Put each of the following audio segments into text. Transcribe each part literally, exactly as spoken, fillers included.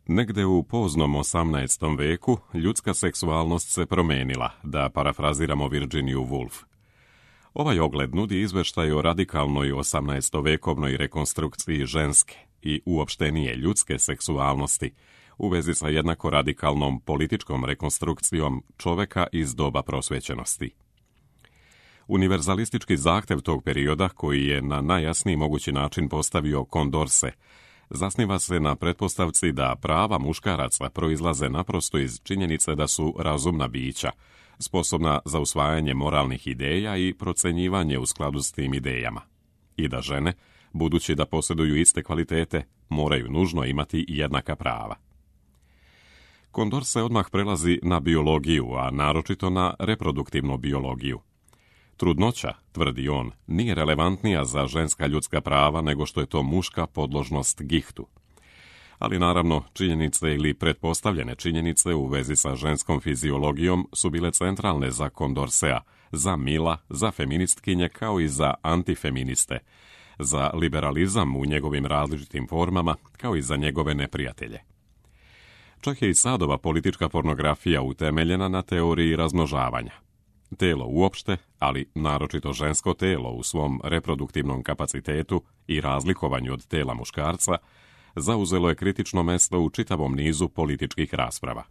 Negde u poznom osamnaestom veku ljudska seksualnost se promenila, da parafraziramo Virginiju Woolf. Ovaj ogled nudi izveštaj o radikalnoj osamnaestovekovnoj rekonstrukciji ženske i uopštenije ljudske seksualnosti u vezi sa jednako radikalnom političkom rekonstrukcijom čoveka iz doba prosvećenosti. Univerzalistički zahtev tog perioda, koji je na najjasniji mogući način postavio Condorcet, zasniva se na pretpostavci da prava muškaraca proizlaze naprosto iz činjenice da su razumna bića, sposobna za usvajanje moralnih ideja i procenjivanje u skladu s tim idejama. I da žene, budući da posjeduju iste kvalitete, moraju nužno imati jednaka prava. Condorcet odmah prelazi na biologiju, a naročito na reproduktivnu biologiju. Trudnoća, tvrdi on, nije relevantnija za ženska ljudska prava nego što je to muška podložnost gihtu. Ali naravno, činjenice ili pretpostavljene činjenice u vezi sa ženskom fiziologijom su bile centralne za Condorceta, za Milla, za feministkinje kao i za antifeministe, za liberalizam u njegovim različitim formama kao i za njegove neprijatelje. Čak je i Sadova politička pornografija utemeljena na teoriji razmnožavanja. Telo uopšte, ali naročito žensko telo u svom reproduktivnom kapacitetu i razlikovanju od tela muškarca, zauzelo je kritično mesto u čitavom nizu političkih rasprava.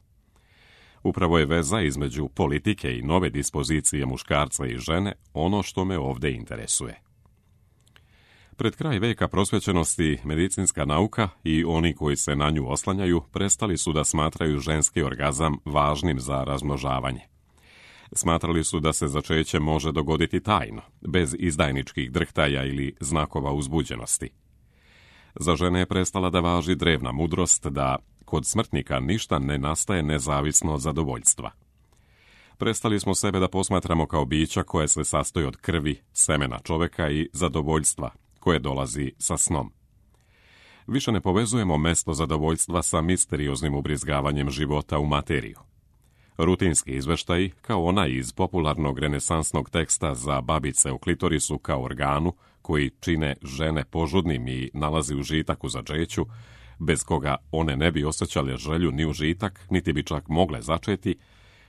Upravo je veza između politike i nove dispozicije muškarca i žene ono što me ovdje interesuje. Pred kraj veka prosvećenosti medicinska nauka i oni koji se na nju oslanjaju prestali su da smatraju ženski orgazam važnim za razmnožavanje. Smatrali su da se začeće može dogoditi tajno, bez izdajničkih drhtaja ili znakova uzbuđenosti. Za žene je prestala da važi drevna mudrost da kod smrtnika ništa ne nastaje nezavisno od zadovoljstva. Prestali smo sebe da posmatramo kao bića koje se sastoji od krvi, semena čoveka i zadovoljstva koje dolazi sa snom. Više ne povezujemo mesto zadovoljstva sa misterioznim ubrizgavanjem života u materiju. Rutinski izveštaji, kao onaj iz popularnog renesansnog teksta za babice u klitorisu kao organu, koji čine žene požudnim i nalazi užitak u začeću, bez koga one ne bi osjećale želju ni užitak, niti bi čak mogle začeti,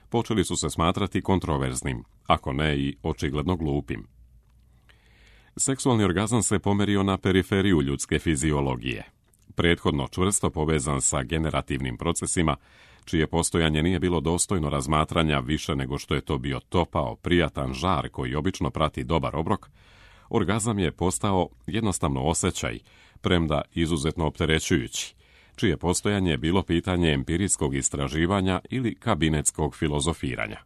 počeli su se smatrati kontroverznim, ako ne i očigledno glupim. Seksualni orgazam se pomerio na periferiju ljudske fiziologije. Prethodno čvrsto povezan sa generativnim procesima, čije postojanje nije bilo dostojno razmatranja više nego što je to bio topao, prijatan žar koji obično prati dobar obrok, orgazam je postao jednostavno osjećaj, premda izuzetno opterećujući, čije postojanje je bilo pitanje empirijskog istraživanja ili kabinetskog filozofiranja.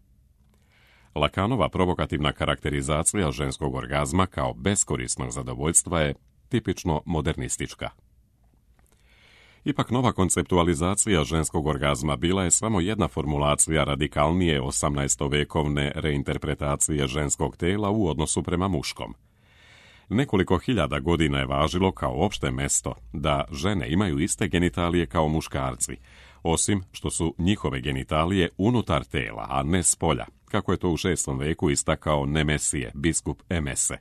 Lacanova provokativna karakterizacija ženskog orgazma kao beskorisnog zadovoljstva je tipično modernistička. Ipak nova konceptualizacija ženskog orgazma bila je samo jedna formulacija radikalnije osamnaestovekovne reinterpretacije ženskog tela u odnosu prema muškom. Nekoliko hiljada godina je važilo kao opšte mesto da žene imaju iste genitalije kao muškarci, osim što su njihove genitalije unutar tela, a ne spolja, kako je to u šestom veku istakao Nemesije, biskup Emese.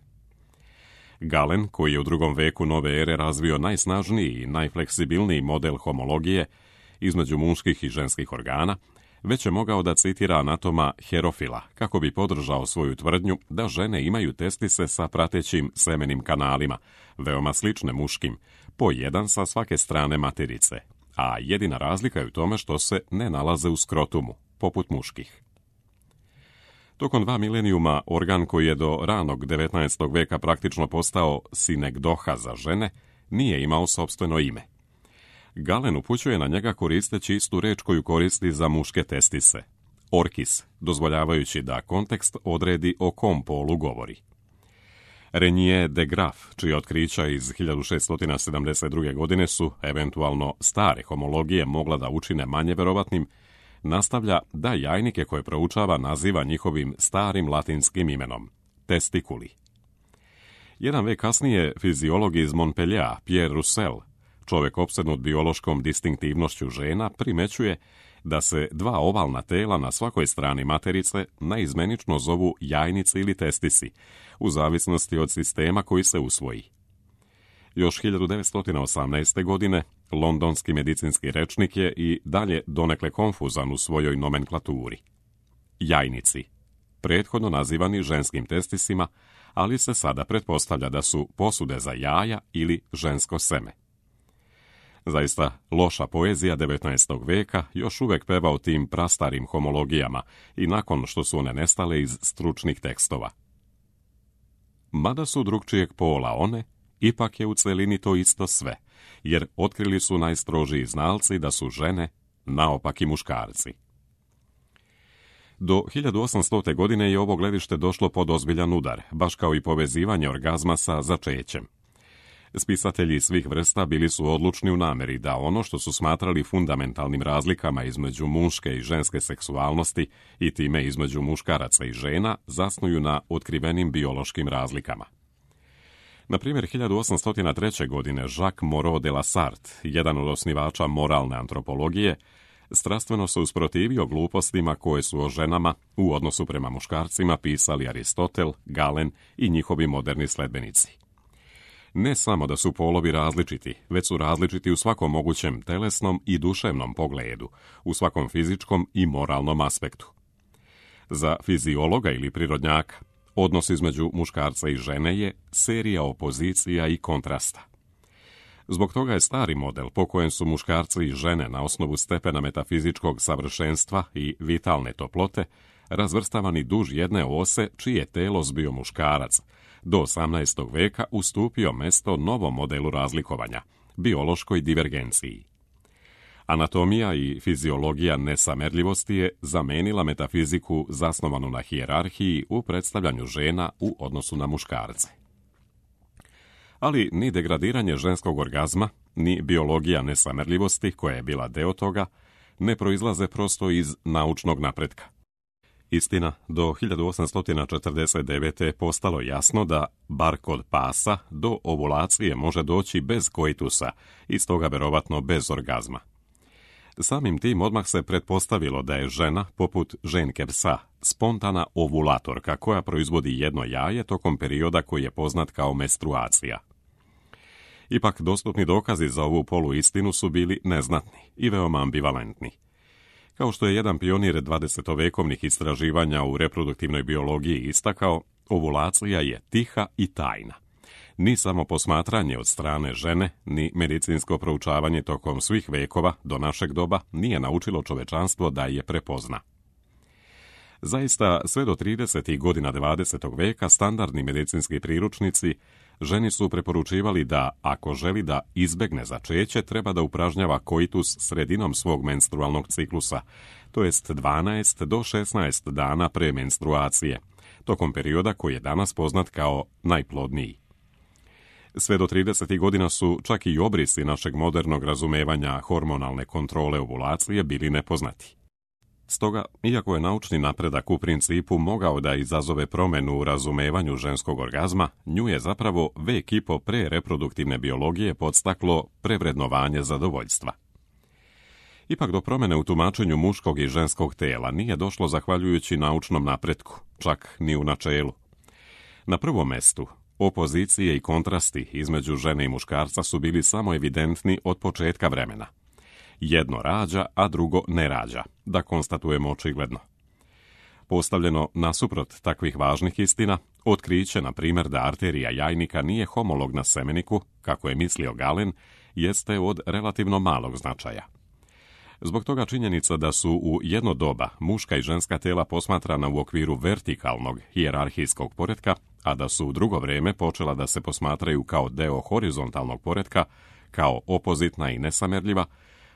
Galen, koji je u drugom veku nove ere razvio najsnažniji i najfleksibilniji model homologije između muških i ženskih organa, već je mogao da citira anatoma Herofila kako bi podržao svoju tvrdnju da žene imaju testise sa pratećim semenim kanalima, veoma slične muškim, po jedan sa svake strane materice, a jedina razlika je u tome što se ne nalaze u skrotumu, poput muških. Tokom dva milenijuma organ koji je do ranog devetnaestog veka praktično postao sinekdoha za žene, nije imao sopstveno ime. Galen upućuje na njega koristeći istu reč koju koristi za muške testise, orkis, dozvoljavajući da kontekst odredi o kom polu govori. Renier de Graaf, čije otkrića iz hiljadu šeststo sedamdeset druge. godine su, eventualno, stare homologije mogla da učine manje verovatnim, nastavlja da jajnike koje proučava naziva njihovim starim latinskim imenom, testikuli. Jedan vek kasnije fiziolog iz Montpellier, Pierre Roussel, čovjek opsednut biološkom distinktivnošću žena, primećuje da se dva ovalna tela na svakoj strani materice naizmenično zovu jajnice ili testisi, u zavisnosti od sistema koji se usvoji. Još hiljadu devetsto osamnaeste. godine londonski medicinski rečnik je i dalje donekle konfuzan u svojoj nomenklaturi. Jajnici, prethodno nazivani ženskim testisima, ali se sada pretpostavlja da su posude za jaja ili žensko seme. Zaista loša poezija devetnaestog veka još uvek peva o tim prastarim homologijama i nakon što su one nestale iz stručnih tekstova. Mada su drugčijeg pola one, ipak je u celini to isto sve, jer otkrili su najstrožiji znalci da su žene naopaki muškarci. Do hiljadu osamstote. godine je ovo gledište došlo pod ozbiljan udar, baš kao i povezivanje orgazma sa začećem. Spisatelji svih vrsta bili su odlučni u nameri da ono što su smatrali fundamentalnim razlikama između muške i ženske seksualnosti i time između muškaraca i žena zasnuju na otkrivenim biološkim razlikama. Na primjer, hiljadu osamsto treće. godine Jacques Moreau de la Sarthe, jedan od osnivača moralne antropologije, strastveno se usprotivio glupostima koje su o ženama u odnosu prema muškarcima pisali Aristotel, Galen i njihovi moderni sledbenici. Ne samo da su polovi različiti, već su različiti u svakom mogućem telesnom i duševnom pogledu, u svakom fizičkom i moralnom aspektu. Za fiziologa ili prirodnjaka, odnos između muškarca i žene je serija opozicija i kontrasta. Zbog toga je stari model po kojem su muškarci i žene na osnovu stepena metafizičkog savršenstva i vitalne toplote razvrstavani duž jedne ose čiji je telos bio muškarac, do osamnaestog. veka ustupio mesto novom modelu razlikovanja, biološkoj divergenciji. Anatomija i fiziologija nesamerljivosti je zamenila metafiziku zasnovanu na hijerarhiji u predstavljanju žena u odnosu na muškarce. Ali ni degradiranje ženskog orgazma, ni biologija nesamerljivosti, koja je bila deo toga, ne proizlaze prosto iz naučnog napretka. Istina, do hiljadu osamsto četrdeset devete. postalo jasno da, bar kod pasa, do ovulacije može doći bez koitusa i stoga verovatno bez orgazma. Samim tim odmah se pretpostavilo da je žena, poput ženke psa, spontana ovulatorka koja proizvodi jedno jaje tokom perioda koji je poznat kao menstruacija. Ipak, dostupni dokazi za ovu poluistinu su bili neznatni i veoma ambivalentni. Kao što je jedan pionir dvadesetovekovnih istraživanja u reproduktivnoj biologiji istakao, ovulacija je tiha i tajna. Ni samo posmatranje od strane žene, ni medicinsko proučavanje tokom svih vekova do našeg doba nije naučilo čovečanstvo da je prepozna. Zaista, sve do tridesetih godina dvadesetog. veka standardni medicinski priručnici ženi su preporučivali da, ako želi da izbegne začeće, treba da upražnjava koitus sredinom svog menstrualnog ciklusa, to jest dvanaest do šesnaest dana pre menstruacije, tokom perioda koji je danas poznat kao najplodniji. Sve do tridesetih godina su čak i obrisi našeg modernog razumevanja hormonalne kontrole ovulacije bili nepoznati. Stoga, iako je naučni napredak u principu mogao da izazove promenu u razumevanju ženskog orgazma, nju je zapravo vek i po pre reproduktivne biologije podstaklo prevrednovanje zadovoljstva. Ipak do promene u tumačenju muškog i ženskog tela nije došlo zahvaljujući naučnom napretku, čak ni u načelu. Na prvom mestu, opozicije i kontrasti između žene i muškarca su bili samo evidentni od početka vremena. Jedno rađa, a drugo ne rađa, da konstatujemo očigledno. Postavljeno nasuprot takvih važnih istina, otkriće, na primjer, da arterija jajnika nije homolog na semeniku, kako je mislio Galen, jeste od relativno malog značaja. Zbog toga činjenica da su u jedno doba muška i ženska tela posmatrana u okviru vertikalnog hijerarhijskog poretka, a da su u drugo vrijeme počela da se posmatraju kao deo horizontalnog poretka, kao opozitna i nesamerljiva,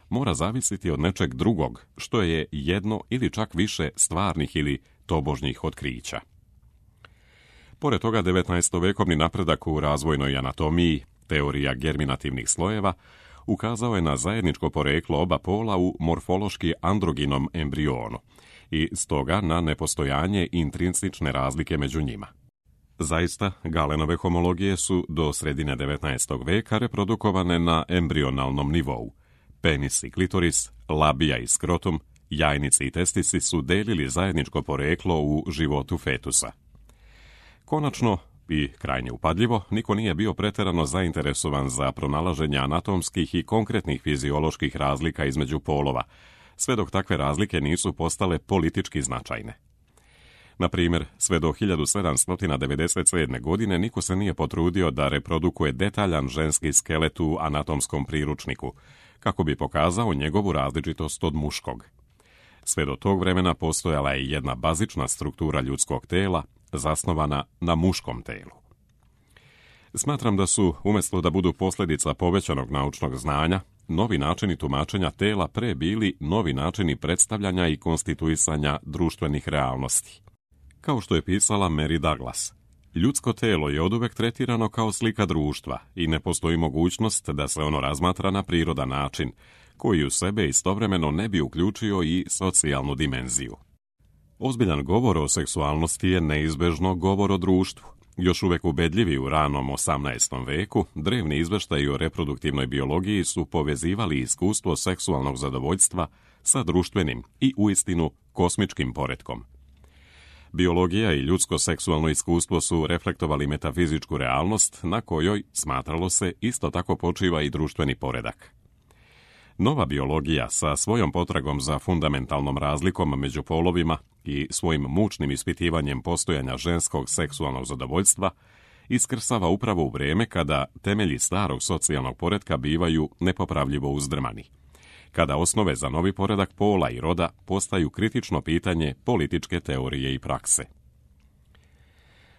mora zavisiti od nečeg drugog, što je jedno ili čak više stvarnih ili tobožnjih otkrića. Pored toga, devetnaestovekovni napredak u razvojnoj anatomiji, teorija germinativnih slojeva, ukazao je na zajedničko poreklo oba pola u morfološki androginom embrionu i stoga na nepostojanje intrinsične razlike među njima. Zaista, Galenove homologije su do sredine devetnaestog. veka reprodukovane na embrionalnom nivou. Penis i klitoris, labija i skrotum, jajnici i testisi su delili zajedničko poreklo u životu fetusa. Konačno, i, krajnje upadljivo, niko nije bio pretjerano zainteresovan za pronalaženje anatomskih i konkretnih fizioloških razlika između polova, sve dok takve razlike nisu postale politički značajne. Na primjer, sve do hiljadu sedamsto devedeset sedme. godine niko se nije potrudio da reprodukuje detaljan ženski skelet u anatomskom priručniku, kako bi pokazao njegovu različitost od muškog. Sve do tog vremena postojala je jedna bazična struktura ljudskog tela, zasnovana na muškom telu. Smatram da su, umjesto da budu posljedica povećanog naučnog znanja, novi načini tumačenja tela pre bili novi načini predstavljanja i konstituisanja društvenih realnosti. Kao što je pisala Mary Douglas, ljudsko telo je oduvek tretirano kao slika društva i ne postoji mogućnost da se ono razmatra na prirodan način, koji u sebe istovremeno ne bi uključio i socijalnu dimenziju. Ozbiljan govor o seksualnosti je neizbežno govor o društvu. Još uvek ubedljivi u ranom osamnaestom veku, drevni izveštaji o reproduktivnoj biologiji su povezivali iskustvo seksualnog zadovoljstva sa društvenim i uistinu kosmičkim poretkom. Biologija i ljudsko seksualno iskustvo su reflektovali metafizičku realnost na kojoj, smatralo se, isto tako počiva i društveni poredak. Nova biologija sa svojom potragom za fundamentalnom razlikom među polovima i svojim mučnim ispitivanjem postojanja ženskog seksualnog zadovoljstva iskrsava upravo u vrijeme kada temelji starog socijalnog poretka bivaju nepopravljivo uzdrmani, kada osnove za novi poredak pola i roda postaju kritično pitanje političke teorije i prakse.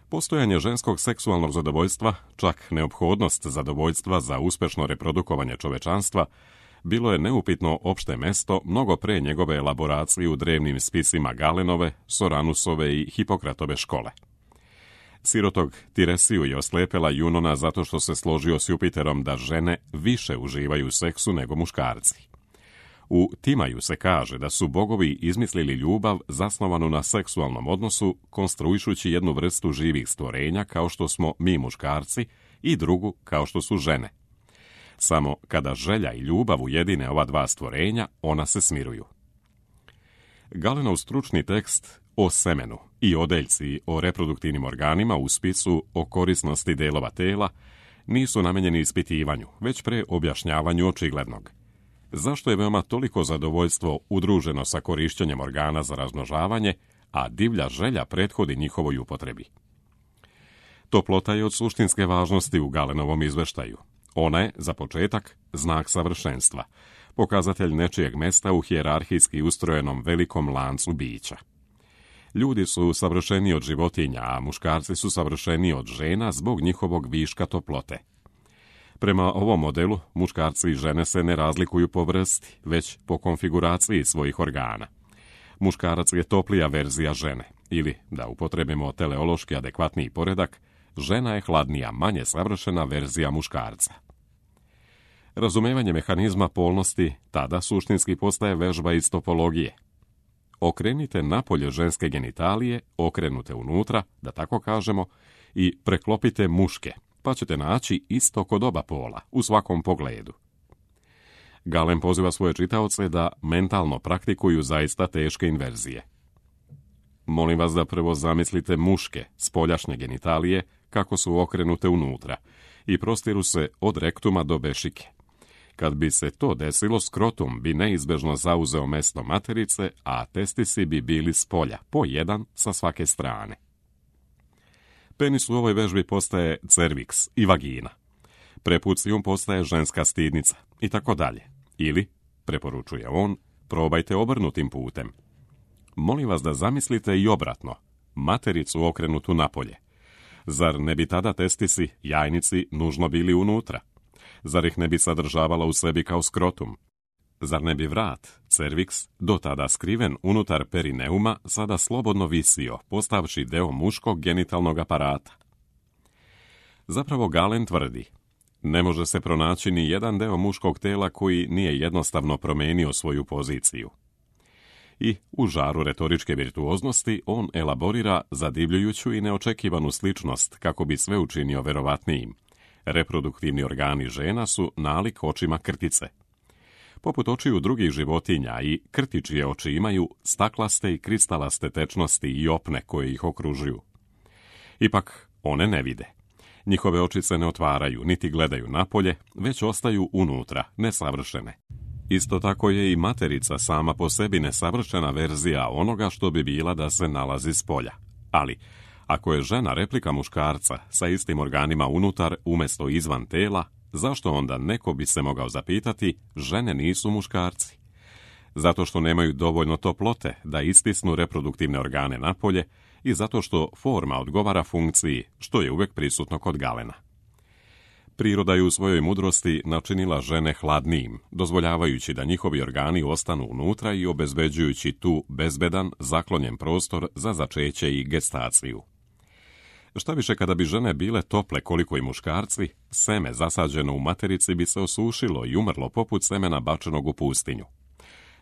Postojanje ženskog seksualnog zadovoljstva, čak neophodnost zadovoljstva za uspešno reprodukovanje čovečanstva, bilo je neupitno opšte mesto mnogo pre njegove elaboracije u drevnim spisima Galenove, Soranusove i Hipokratove škole. Sirotog Tiresiju je oslepela Junona zato što se složio s Jupiterom da žene više uživaju u seksu nego muškarci. U Timaju se kaže da su bogovi izmislili ljubav zasnovanu na seksualnom odnosu, konstruišući jednu vrstu živih stvorenja kao što smo mi muškarci i drugu kao što su žene. Samo kada želja i ljubav ujedine ova dva stvorenja, ona se smiruju. Galenov stručni tekst o semenu i odeljci o reproduktivnim organima u spisu o korisnosti delova tela nisu namenjeni ispitivanju, već pre objašnjavanju očiglednog. Zašto je veoma toliko zadovoljstvo udruženo sa korišćenjem organa za razmnožavanje, a divlja želja prethodi njihovoj upotrebi? Toplota je od suštinske važnosti u Galenovom izveštaju. Ona je, za početak, znak savršenstva, pokazatelj nečijeg mesta u hijerarhijski ustrojenom velikom lancu bića. Ljudi su savršeniji od životinja, a muškarci su savršeniji od žena zbog njihovog viška toplote. Prema ovom modelu, muškarci i žene se ne razlikuju po vrsti, već po konfiguraciji svojih organa. Muškarac je toplija verzija žene, ili, da upotrebimo teleološki adekvatniji poredak, žena je hladnija, manje savršena verzija muškarca. Razumevanje mehanizma polnosti tada suštinski postaje vežba iz topologije. Okrenite napolje ženske genitalije, okrenute unutra, da tako kažemo, i preklopite muške, pa ćete naći isto kod oba pola, u svakom pogledu. Galen poziva svoje čitaoce da mentalno praktikuju zaista teške inverzije. Molim vas da prvo zamislite muške, spoljašnje genitalije, kako su okrenute unutra i prostiru se od rektuma do bešike. Kad bi se to desilo, skrotum bi neizbežno zauzeo mesto materice, a testisi bi bili spolja, po jedan sa svake strane. Penis u ovoj vežbi postaje cerviks i vagina. Prepucijum postaje ženska stidnica i tako dalje. Ili, preporučuje on, probajte obrnutim putem. Molim vas da zamislite i obratno, matericu okrenutu napolje. Zar ne bi tada testisi, jajnici, nužno bili unutra? Zar ih ne bi sadržavala u sebi kao skrotum? Zar ne bi vrat, cerviks, do tada skriven unutar perineuma, sada slobodno visio, postavši deo muškog genitalnog aparata? Zapravo Galen tvrdi, ne može se pronaći ni jedan deo muškog tela koji nije jednostavno promenio svoju poziciju. I, u žaru retoričke virtuoznosti, on elaborira zadivljujuću i neočekivanu sličnost kako bi sve učinio verovatnijim. Reproduktivni organi žena su nalik očima krtice. Poput očiju drugih životinja i krtičije oči imaju staklaste i kristalaste tečnosti i opne koje ih okružuju. Ipak, One ne vide. Njihove oči se ne otvaraju, niti gledaju napolje, već ostaju unutra, nesavršene. Isto tako je i materica sama po sebi nesavršena verzija onoga što bi bila da se nalazi spolja. Ali, ako je žena replika muškarca sa istim organima unutar umjesto izvan tela, zašto onda neko bi se mogao zapitati žene nisu muškarci? Zato što nemaju dovoljno toplote da istisnu reproduktivne organe napolje i zato što forma odgovara funkciji, što je uvijek prisutno kod Galena. Priroda je u svojoj mudrosti načinila žene hladnijim, dozvoljavajući da njihovi organi ostanu unutra i obezbeđujući tu bezbedan, zaklonjen prostor za začeće i gestaciju. Šta više, kada bi žene bile tople koliko i muškarci, seme zasađeno u materici bi se osušilo i umrlo poput semena bačenog u pustinju.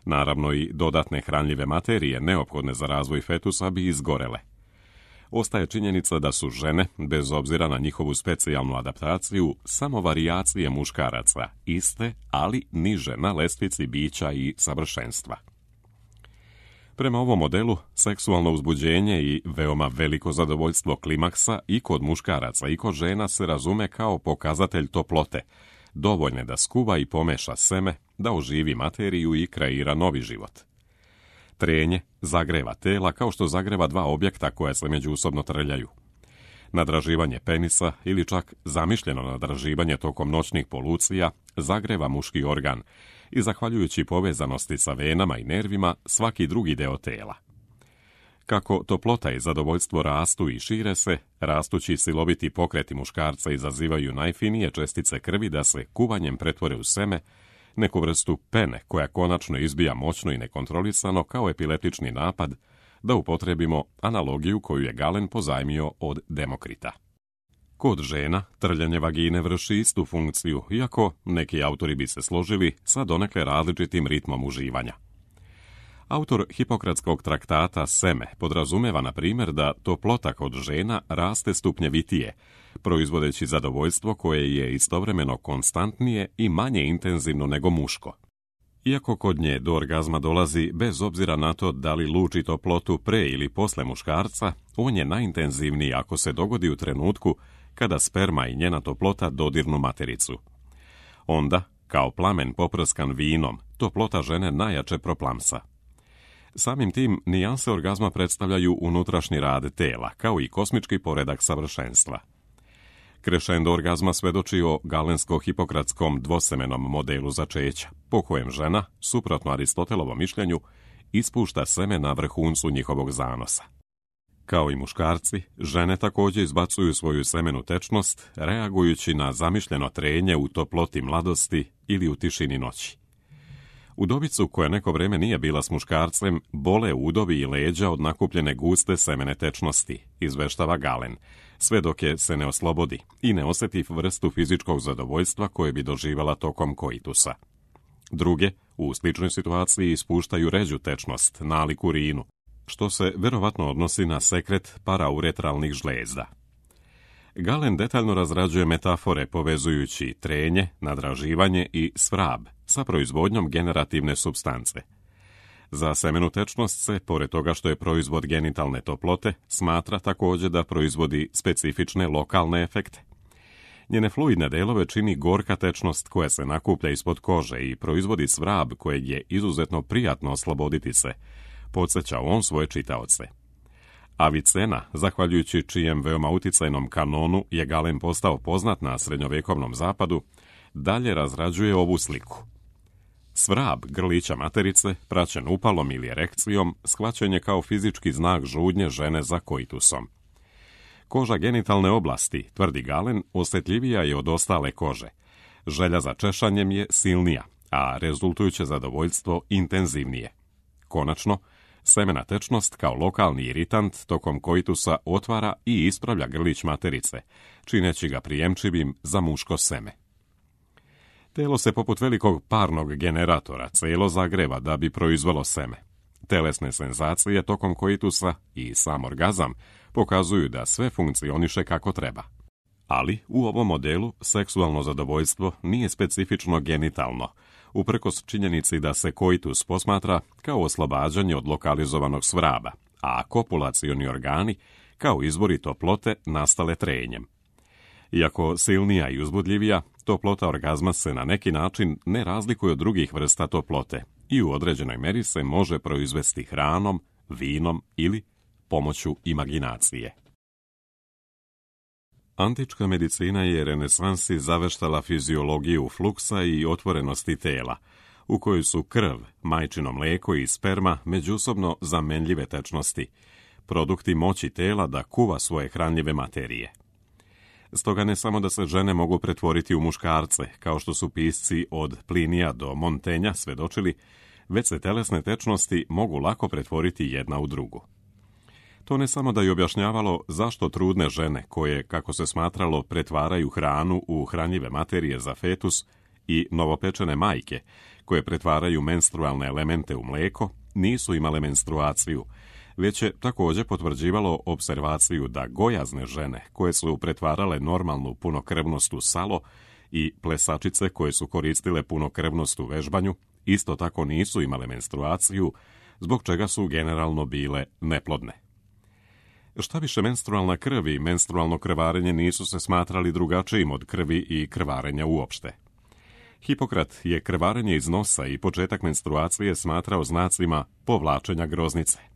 Naravno i dodatne hranljive materije neophodne za razvoj fetusa bi izgorele. Ostaje činjenica da su žene, bez obzira na njihovu specijalnu adaptaciju, samo varijacije muškaraca, iste, ali niže na lestvici bića i savršenstva. Prema ovom modelu, seksualno uzbuđenje i veoma veliko zadovoljstvo klimaksa i kod muškaraca i kod žena se razume kao pokazatelj toplote, dovoljne da skuva i pomeša seme, da oživi materiju i kreira novi život. Trenje zagreva tela kao što zagreva dva objekta koja se međusobno trljaju. Nadraživanje penisa ili čak zamišljeno nadraživanje tokom noćnih polucija zagreva muški organ i zahvaljujući povezanosti sa venama i nervima svaki drugi deo tela. Kako toplota i zadovoljstvo rastu i šire se, rastući siloviti pokreti muškarca izazivaju najfinije čestice krvi da se kuvanjem pretvore u seme, neku vrstu pene koja konačno izbija moćno i nekontrolisano kao epileptični napad, da upotrebimo analogiju koju je Galen pozajmio od Demokrita. Kod žena trljanje vagine vrši istu funkciju, iako neki autori bi se složili sa donekle različitim ritmom uživanja. Autor Hipokratskog traktata Seme podrazumeva, na primjer, da toplota kod žena raste stupnjevitije, proizvodeći zadovoljstvo koje je istovremeno konstantnije i manje intenzivno nego muško. Iako kod nje do orgazma dolazi bez obzira na to da li luči toplotu pre ili posle muškarca, on je najintenzivniji ako se dogodi u trenutku kada sperma i njena toplota dodirnu matericu. Onda, kao plamen poprskan vinom, toplota žene najjače proplamsa. Samim tim, nijanse orgazma predstavljaju unutrašnji rad tela, kao i kosmički poredak savršenstva. Krešendo orgazma svedoči o galensko-hipokratskom dvosemenom modelu začeća, po kojem žena, suprotno Aristotelovom mišljenju, ispušta seme na vrhuncu njihovog zanosa. Kao i muškarci, žene također izbacuju svoju semenu tečnost, reagujući na zamišljeno trenje u toploti mladosti ili u tišini noći. Udovicu koja neko vreme nije bila s muškarcem, bole udovi i leđa od nakupljene guste semene tečnosti, izveštava Galen, sve dok je se ne oslobodi i ne osjeti vrstu fizičkog zadovoljstva koje bi doživjela tokom koitusa. Druge, u sličnoj situaciji, ispuštaju ređu tečnost, nalik urinu, što se verovatno odnosi na sekret parauretralnih žlezda. Galen detaljno razrađuje metafore povezujući trenje, nadraživanje i svrab sa proizvodnjom generativne supstance. Za semenu tečnost se, pored toga što je proizvod genitalne toplote, smatra također da proizvodi specifične lokalne efekte. Njene fluidne delove čini gorka tečnost koja se nakuplja ispod kože i proizvodi svrab kojeg je izuzetno prijatno osloboditi se, podsjeća on svoje čitaoce. Avicena, zahvaljujući čijem veoma uticajnom kanonu je Galen postao poznat na srednjovjekovnom zapadu, dalje razrađuje ovu sliku. Svrab grlića materice, praćen upalom ili erekcijom, shvaćen je kao fizički znak žudnje žene za koitusom. Koža genitalne oblasti, tvrdi Galen, osjetljivija je od ostale kože. Želja za češanjem je silnija, a rezultujuće zadovoljstvo intenzivnije. Konačno, semena tečnost kao lokalni iritant tokom koitusa otvara i ispravlja grlić materice, čineći ga prijemčivim za muško seme. Telo se poput velikog parnog generatora celo zagreva da bi proizvelo seme. Telesne senzacije tokom koitusa i sam orgazam pokazuju da sve funkcioniše kako treba. Ali u ovom modelu seksualno zadovoljstvo nije specifično genitalno, uprkos činjenici da se koitus posmatra kao oslobađanje od lokalizovanog svraba, a kopulacioni organi kao izvori toplote nastale trenjem. Iako silnija i uzbudljivija, toplota orgazma se na neki način ne razlikuje od drugih vrsta toplote i u određenoj meri se može proizvesti hranom, vinom ili pomoću imaginacije. Antička medicina je renesansi zaveštala fiziologiju fluksa i otvorenosti tela, u kojoj su krv, majčino mlijeko i sperma međusobno zamenljive tečnosti, produkti moći tela da kuva svoje hranljive materije. Stoga ne samo da se žene mogu pretvoriti u muškarce, kao što su pisci od Plinija do Montenja svedočili, već se telesne tečnosti mogu lako pretvoriti jedna u drugu. To ne samo da je objašnjavalo zašto trudne žene, koje, kako se smatralo, pretvaraju hranu u hranljive materije za fetus, i novopečene majke, koje pretvaraju menstrualne elemente u mlijeko, nisu imale menstruaciju, već je također potvrđivalo observaciju da gojazne žene, koje su pretvarale normalnu punokrvnost u salo, i plesačice koje su koristile punokrvnost u vežbanju, isto tako nisu imale menstruaciju, zbog čega su generalno bile neplodne. Šta više, menstrualna krv i menstrualno krvarenje nisu se smatrali drugačijim od krvi i krvarenja uopšte. Hipokrat je krvarenje iz nosa i početak menstruacije smatrao znacima povlačenja groznice.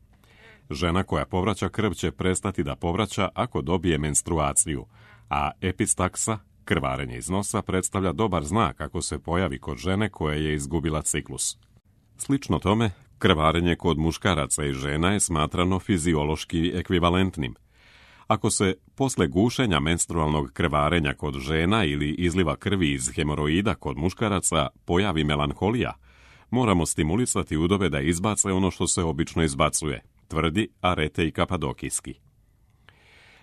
Žena koja povraća krv će prestati da povraća ako dobije menstruaciju, a epistaksa, krvarenje iz nosa, predstavlja dobar znak ako se pojavi kod žene koja je izgubila ciklus. Slično tome, krvarenje kod muškaraca i žena je smatrano fiziološki ekvivalentnim. Ako se posle gušenja menstrualnog krvarenja kod žena ili izliva krvi iz hemoroida kod muškaraca pojavi melanholija, moramo stimulisati udove da izbace ono što se obično izbacuje, tvrdi Arete i Kapadokijski.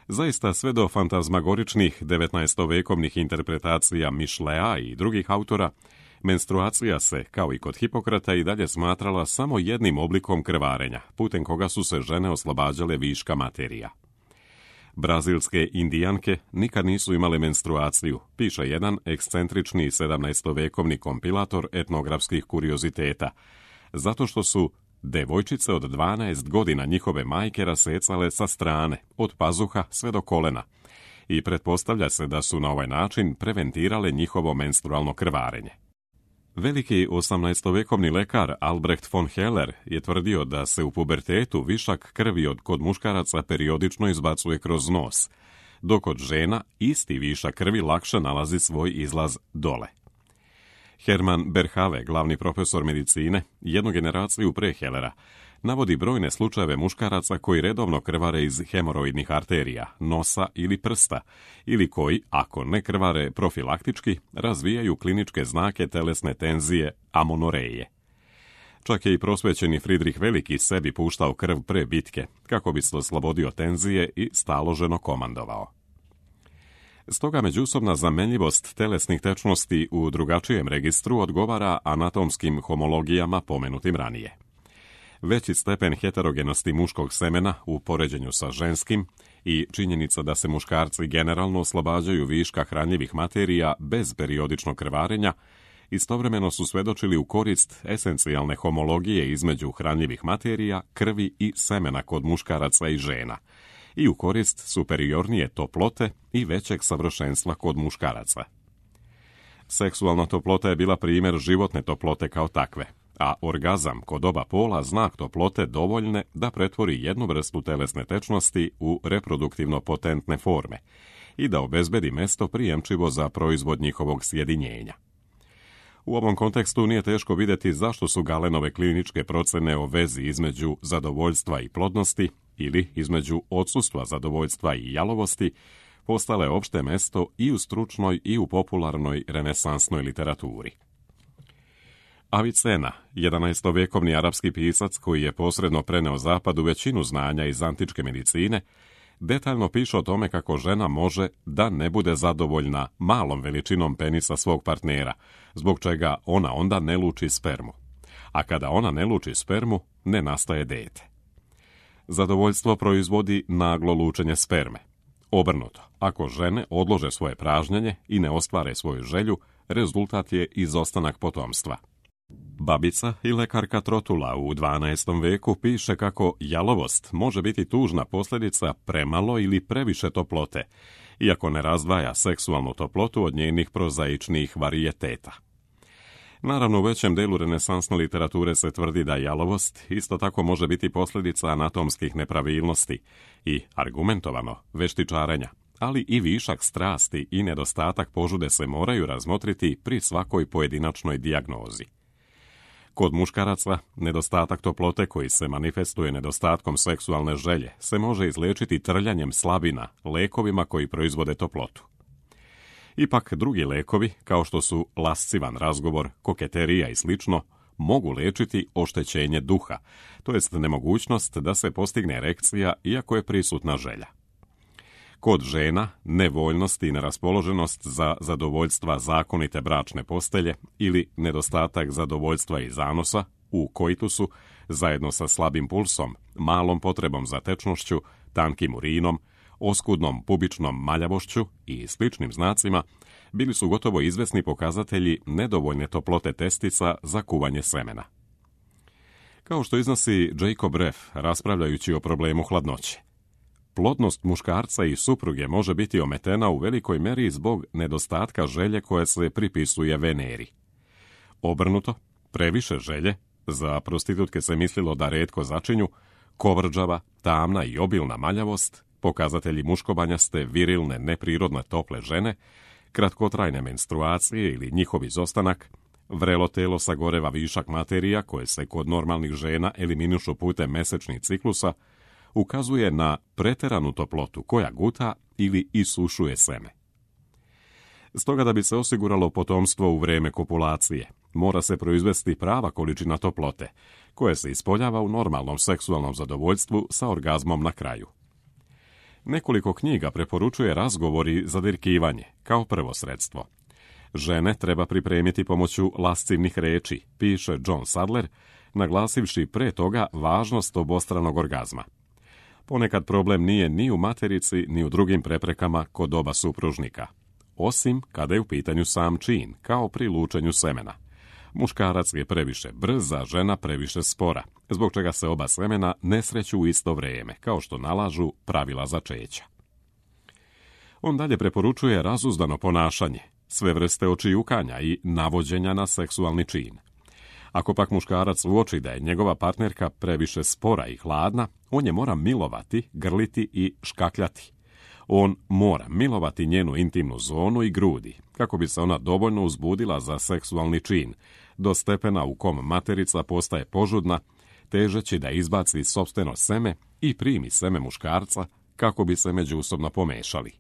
Zaista, sve do fantazmagoričnih devetnaestovekovnih interpretacija Mišlea i drugih autora, menstruacija se, kao i kod Hipokrata, i dalje smatrala samo jednim oblikom krvarenja, putem koga su se žene oslobađale viška materija. Brazilske indijanke nikad nisu imale menstruaciju, piše jedan ekscentrični sedamnaestovekovni kompilator etnografskih kurioziteta, zato što su devojčice od dvanaest godina njihove majke rasecale sa strane, od pazuha sve do kolena, i pretpostavlja se da su na ovaj način preventirale njihovo menstrualno krvarenje. Veliki osamnaestovekovni lekar Albrecht von Heller je tvrdio da se u pubertetu višak krvi od kod muškaraca periodično izbacuje kroz nos, dok kod žena isti višak krvi lakše nalazi svoj izlaz dole. Hermann Berhave, glavni profesor medicine, jednu generaciju pre Hellera, navodi brojne slučajeve muškaraca koji redovno krvare iz hemoroidnih arterija, nosa ili prsta, ili koji, ako ne krvare profilaktički, razvijaju kliničke znake telesne tenzije amonoreje. Čak je i prosvećeni Fridrih Veliki sebi puštao krv pre bitke, kako bi se oslobodio tenzije i staloženo komandovao. Stoga međusobna zamenljivost telesnih tečnosti u drugačijem registru odgovara anatomskim homologijama pomenutim ranije. Veći stepen heterogenosti muškog semena u poređenju sa ženskim i činjenica da se muškarci generalno oslobađaju viška hranljivih materija bez periodičnog krvarenja istovremeno su svedočili u korist esencijalne homologije između hranljivih materija, krvi i semena kod muškaraca i žena i u korist superiornije toplote i većeg savršenstva kod muškaraca. Seksualna toplota je bila primjer životne toplote kao takve, a orgazam kod oba pola znak toplote dovoljne da pretvori jednu vrstu telesne tečnosti u reproduktivno potentne forme i da obezbedi mesto prijemčivo za proizvod njihovog sjedinjenja. U ovom kontekstu nije teško vidjeti zašto su Galenove kliničke procene o vezi između zadovoljstva i plodnosti ili između odsustva zadovoljstva i jalovosti postale opšte mesto i u stručnoj i u popularnoj renesansnoj literaturi. Avicena, jedanaestovekovni arapski pisac koji je posredno preneo zapadu većinu znanja iz antičke medicine, detaljno piše o tome kako žena može da ne bude zadovoljna malom veličinom penisa svog partnera, zbog čega ona onda ne luči spermu. A kada ona ne luči spermu, ne nastaje dete. Zadovoljstvo proizvodi naglo lučenje sperme. Obrnuto, ako žene odlože svoje pražnjenje i ne ostvare svoju želju, rezultat je izostanak potomstva. Babica i lekarka Trotula u dvanaestom veku piše kako jalovost može biti tužna posljedica premalo ili previše toplote, iako ne razdvaja seksualnu toplotu od njenih prozaičnih varijeteta. Naravno, u većem delu renesansne literature se tvrdi da jalovost isto tako može biti posljedica anatomskih nepravilnosti i, argumentovano, veštičarenja, ali i višak strasti i nedostatak požude se moraju razmotriti pri svakoj pojedinačnoj dijagnozi. Kod muškaraca, nedostatak toplote koji se manifestuje nedostatkom seksualne želje se može izliječiti trljanjem slabina, lekovima koji proizvode toplotu. Ipak drugi lekovi, kao što su lascivan razgovor, koketerija i slično, mogu liječiti oštećenje duha, to jest nemogućnost da se postigne erekcija iako je prisutna želja. Kod žena, nevoljnost i neraspoloženost za zadovoljstva zakonite bračne postelje ili nedostatak zadovoljstva i zanosa u koitusu, zajedno sa slabim pulsom, malom potrebom za tečnošću, tankim urinom, oskudnom pubičnom maljavošću i sličnim znacima, bili su gotovo izvesni pokazatelji nedovoljne toplote testica za kuvanje semena. Kao što iznosi Jacob Reff, raspravljajući o problemu hladnoće, plodnost muškarca i supruge može biti ometena u velikoj meri zbog nedostatka želje koje se pripisuje Veneri. Obrnuto, previše želje, za prostitutke se mislilo da retko začinju, kovrđava, tamna i obilna maljavost, pokazatelji muškobanjaste, virilne, neprirodne tople žene, kratkotrajne menstruacije ili njihov izostanak, vrelo telo sagoreva višak materija koje se kod normalnih žena eliminišu putem mesečnih ciklusa, ukazuje na preteranu toplotu koja guta ili isušuje seme. Stoga da bi se osiguralo potomstvo u vrijeme kopulacije, mora se proizvesti prava količina toplote, koja se ispoljava u normalnom seksualnom zadovoljstvu sa orgazmom na kraju. Nekoliko knjiga preporučuje razgovori za dirkivanje kao prvo sredstvo. Žene treba pripremiti pomoću lascivnih reči, piše John Sadler, naglasivši pre toga važnost obostranog orgazma. Ponekad problem nije ni u materici, ni u drugim preprekama kod oba supružnika, osim kada je u pitanju sam čin, kao pri lučenju semena. Muškarac je previše brz, a žena previše spora, zbog čega se oba semena ne sreću u isto vrijeme, kao što nalažu pravila začeća. On dalje preporučuje razuzdano ponašanje, sve vrste očijukanja i navođenja na seksualni čin. Ako pak muškarac uoči da je njegova partnerka previše spora i hladna, on je mora milovati, grliti i škakljati. On mora milovati njenu intimnu zonu i grudi, kako bi se ona dovoljno uzbudila za seksualni čin, do stepena u kom materica postaje požudna, težeći da izbaci sopstveno seme i primi seme muškarca, kako bi se međusobno pomešali.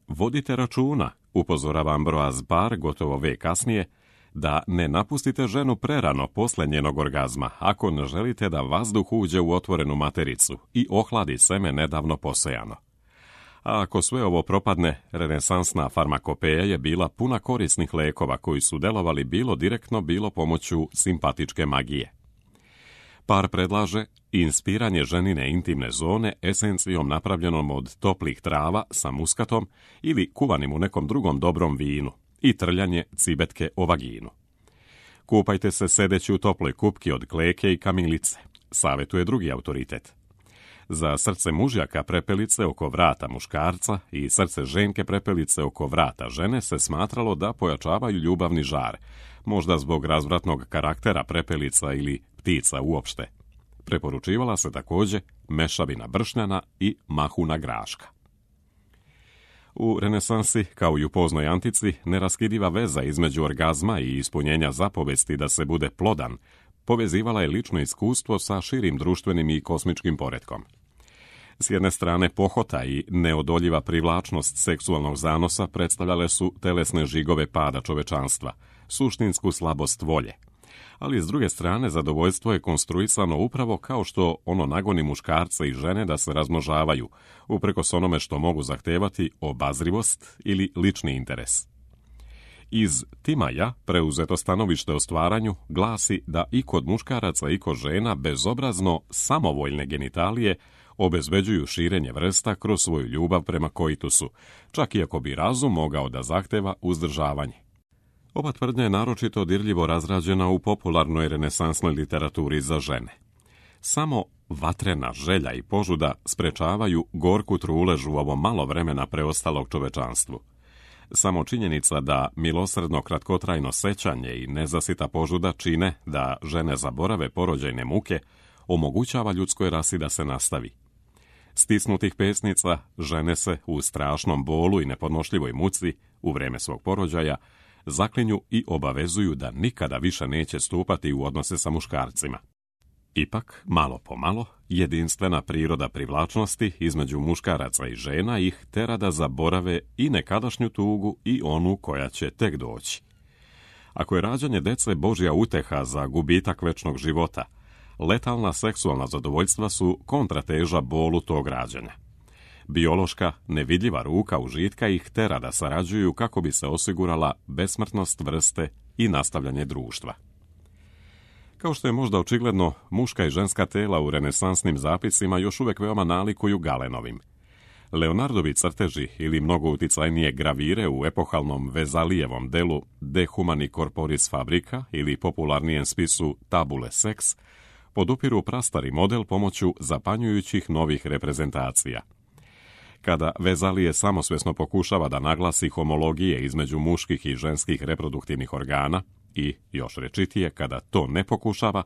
Vodite računa, upozorava Ambroise Paré gotovo vek kasnije, da ne napustite ženu prerano posle njenog orgazma, ako ne želite da vazduh uđe u otvorenu matericu i ohladi seme nedavno posejano. A ako sve ovo propadne, renesansna farmakopeja je bila puna korisnih lekova koji su delovali bilo direktno, bilo pomoću simpatičke magije. Par predlaže inspiranje ženine intimne zone esencijom napravljenom od toplih trava sa muskatom ili kuvanim u nekom drugom dobrom vinu i trljanje cibetke o vaginu. Kupajte se sedeći u toploj kupki od kleke i kamilice, savjetuje drugi autoritet. Za srce mužjaka prepelice oko vrata muškarca i srce ženke prepelice oko vrata žene se smatralo da pojačavaju ljubavni žar, možda zbog razvratnog karaktera prepelica ili ptica uopšte. Preporučivala se također mešavina bršnjana i mahuna graška. U renesansi, kao i u poznoj antici, neraskidiva veza između orgazma i ispunjenja zapovesti da se bude plodan povezivala je lično iskustvo sa širim društvenim i kosmičkim poretkom. S jedne strane, pohota i neodoljiva privlačnost seksualnog zanosa predstavljale su telesne žigove pada čovečanstva, suštinsku slabost volje. Ali s druge strane, zadovoljstvo je konstruisano upravo kao što ono nagoni muškarce i žene da se razmnožavaju, uprkos onome što mogu zahtevati obazrivost ili lični interes. Iz Timaja preuzeto stanovište o stvaranju glasi da i kod muškaraca i kod žena bezobrazno samovoljne genitalije obezbeđuju širenje vrsta kroz svoju ljubav prema koitusu, čak i ako bi razum mogao da zahteva uzdržavanje. Ova tvrdnja je naročito dirljivo razrađena u popularnoj renesansnoj literaturi za žene. Samo vatrena želja i požuda sprečavaju gorku truležu u ovo malo vremena preostalog čovečanstvu. Samo činjenica da milosrdno kratkotrajno sećanje i nezasita požuda čine da žene zaborave porođajne muke omogućava ljudskoj rasi da se nastavi. Stisnutih pesnica žene se u strašnom bolu i nepodnošljivoj muci u vrijeme svog porođaja zaklinju i obavezuju da nikada više neće stupati u odnose sa muškarcima. Ipak, malo po malo, jedinstvena priroda privlačnosti između muškaraca i žena ih tera da zaborave i nekadašnju tugu i onu koja će tek doći. Ako je rađanje dece Božja uteha za gubitak večnog života, letalna seksualna zadovoljstva su kontrateža bolu tog rađanja. Biološka, nevidljiva ruka užitka ih tera da sarađuju kako bi se osigurala besmrtnost vrste i nastavljanje društva. Kao što je možda očigledno, muška i ženska tela u renesansnim zapisima još uvijek veoma nalikuju Galenovim. Leonardovi crteži ili mnogo uticajnije gravire u epohalnom Vezalijevom delu De humani corporis fabrica ili popularnijem spisu Tabule sex podupiru prastari model pomoću zapanjujućih novih reprezentacija. Kada Vezalije samosvjesno pokušava da naglasi homologije između muških i ženskih reproduktivnih organa i, još rečitije, kada to ne pokušava,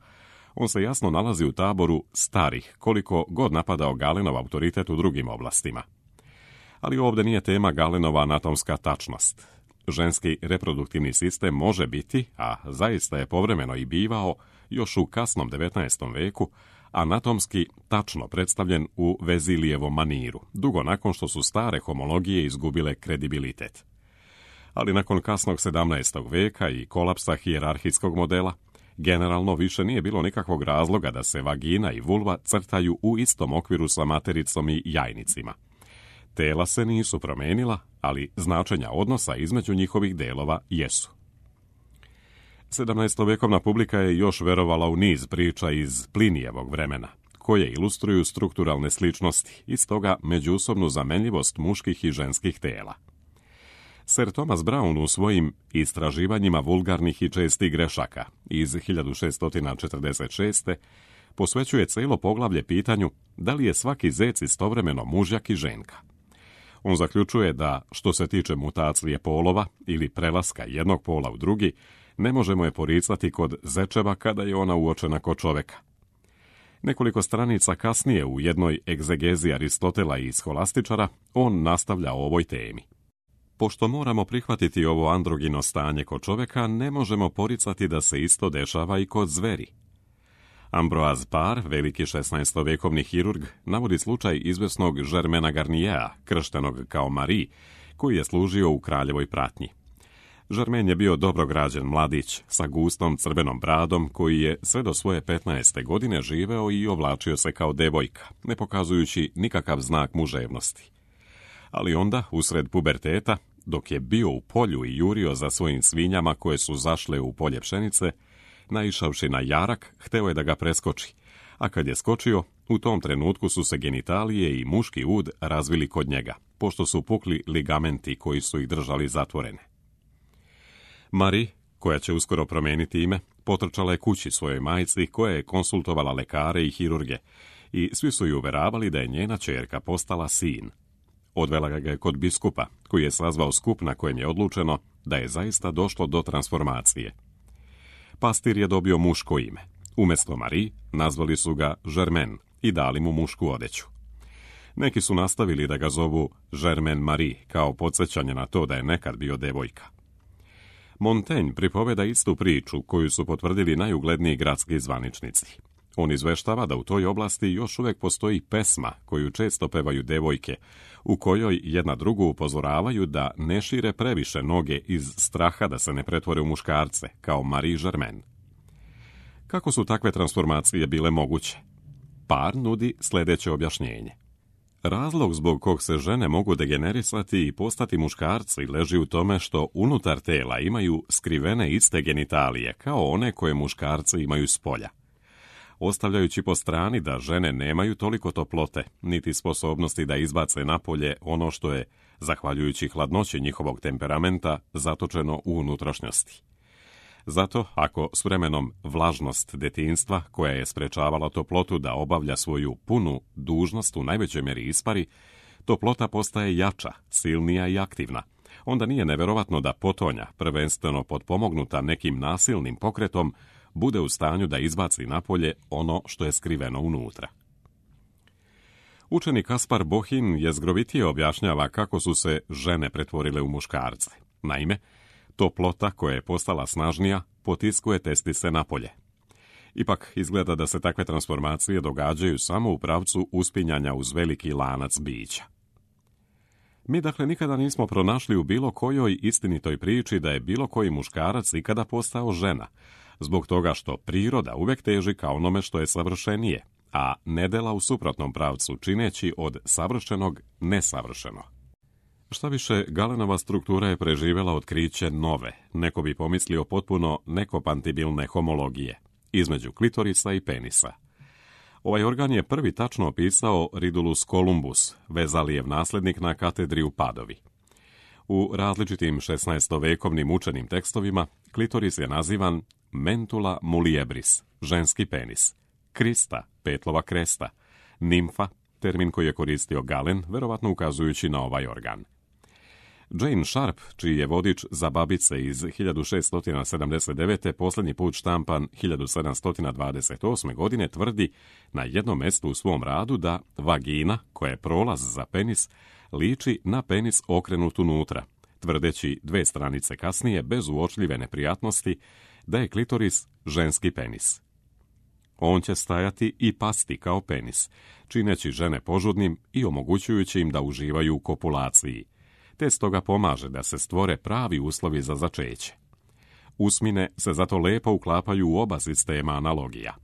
on se jasno nalazi u taboru starih, koliko god napadao Galenov autoritet u drugim oblastima. Ali ovdje nije tema Galenova anatomska tačnost. Ženski reproduktivni sistem može biti, a zaista je povremeno i bivao, još u kasnom devetnaestom veku, anatomski tačno predstavljen u Vezilijevom maniru, dugo nakon što su stare homologije izgubile kredibilitet. Ali nakon kasnog sedamnaestog veka i kolapsa hijerarhijskog modela, generalno više nije bilo nikakvog razloga da se vagina i vulva crtaju u istom okviru sa matericom i jajnicima. Tela se nisu promenila, ali značenja odnosa između njihovih delova jesu. sedamnaestovekovna publika je još verovala u niz priča iz Plinijevog vremena, koje ilustruju strukturalne sličnosti i stoga međusobnu zamenljivost muških i ženskih tela. Sir Thomas Brown u svojim istraživanjima vulgarnih i čestih grešaka iz hiljadu šeststo četrdeset šeste posvećuje cijelo poglavlje pitanju da li je svaki zec istovremeno mužjak i ženka. On zaključuje da, što se tiče mutacije polova ili prelaska jednog pola u drugi, ne možemo je poricati kod zečeva kada je ona uočena kod čoveka. Nekoliko stranica kasnije u jednoj egzegezi Aristotela i Scholastičara on nastavlja o ovoj temi. Pošto moramo prihvatiti ovo androgino stanje kod čoveka, ne možemo poricati da se isto dešava i kod zveri. Ambroise Paré, veliki šesnaestovekovni hirurg, navodi slučaj izvesnog Germaina Garniera, krštenog kao Marie, koji je služio u kraljevoj pratnji. Germain je bio dobrograđen mladić sa gustom crvenom bradom koji je sve do svoje petnaeste godine živeo i oblačio se kao devojka, ne pokazujući nikakav znak muževnosti. Ali onda, usred puberteta, dok je bio u polju i jurio za svojim svinjama koje su zašle u polje pšenice, naišavši na jarak, hteo je da ga preskoči, a kad je skočio, u tom trenutku su se genitalije i muški ud razvili kod njega, pošto su pukli ligamenti koji su ih držali zatvorene. Marie, koja će uskoro promijeniti ime, potrčala je kući svojoj majci koja je konsultovala lekare i hirurge i svi su ju uveravali da je njena ćerka postala sin. Odvela ga je kod biskupa, koji je sazvao skup na kojem je odlučeno da je zaista došlo do transformacije. Pastir je dobio muško ime. Umjesto Marie nazvali su ga Germain i dali mu mušku odeću. Neki su nastavili da ga zovu Germain Marie kao podsjećanje na to da je nekad bio devojka. Montaigne pripoveda istu priču koju su potvrdili najugledniji gradski zvaničnici. On izveštava da u toj oblasti još uvijek postoji pesma koju često pevaju devojke, u kojoj jedna drugu upozoravaju da ne šire previše noge iz straha da se ne pretvore u muškarce, kao Marie Germain. Kako su takve transformacije bile moguće? Paré nudi sljedeće objašnjenje. Razlog zbog kog se žene mogu degenerisati i postati muškarci leži u tome što unutar tela imaju skrivene iste genitalije kao one koje muškarci imaju s polja. ostavljajući po strani da žene nemaju toliko toplote, niti sposobnosti da izbace napolje ono što je, zahvaljujući hladnoći njihovog temperamenta, zatočeno u unutrašnjosti. Zato, ako s vremenom vlažnost detinjstva, koja je sprečavala toplotu da obavlja svoju punu dužnost u najvećoj mjeri ispari, toplota postaje jača, silnija i aktivna, onda nije neverovatno da potonja, prvenstveno potpomognuta nekim nasilnim pokretom, bude u stanju da izbaci napolje ono što je skriveno unutra. Učeni Kaspar Bohin jezgrovitije objašnjava kako su se žene pretvorile u muškarce. Naime, toplota koja je postala snažnija potiskuje testise napolje. Ipak izgleda da se takve transformacije događaju samo u pravcu uspinjanja uz veliki lanac bića. Mi dakle nikada nismo pronašli u bilo kojoj istinitoj priči da je bilo koji muškarac ikada postao žena, zbog toga što priroda uvijek teži ka onome što je savršenije, a nedela u suprotnom pravcu, čineći od savršenog nesavršeno. Šta više, Galenova struktura je preživjela otkriće nove, neko bi pomislio potpuno nekompatibilne homologije, između klitorisa i penisa. Ovaj organ je prvi tačno opisao Ridulus Columbus, Vezalijev nasljednik na katedri u Padovi. U različitim šesnaestovekovnim učenim tekstovima klitoris je nazivan mentula muliebris, ženski penis, krista, petlova kresta, nimfa, termin koji je koristio Galen, verovatno ukazujući na ovaj organ. Jane Sharp, čiji je vodič za babice iz hiljadu šeststo sedamdeset devete posljednji put štampan hiljadu sedamsto dvadeset osme. godine, tvrdi na jednom mjestu u svom radu da vagina, koja je prolaz za penis, liči na penis okrenut unutra, tvrdeći dve stranice kasnije, bez uočljive neprijatnosti, da je klitoris ženski penis. On će stajati i pasti kao penis, čineći žene požudnim i omogućujući im da uživaju u kopulaciji, te stoga pomaže da se stvore pravi uslovi za začeće. Usmine se zato lepo uklapaju u oba sistema analogija.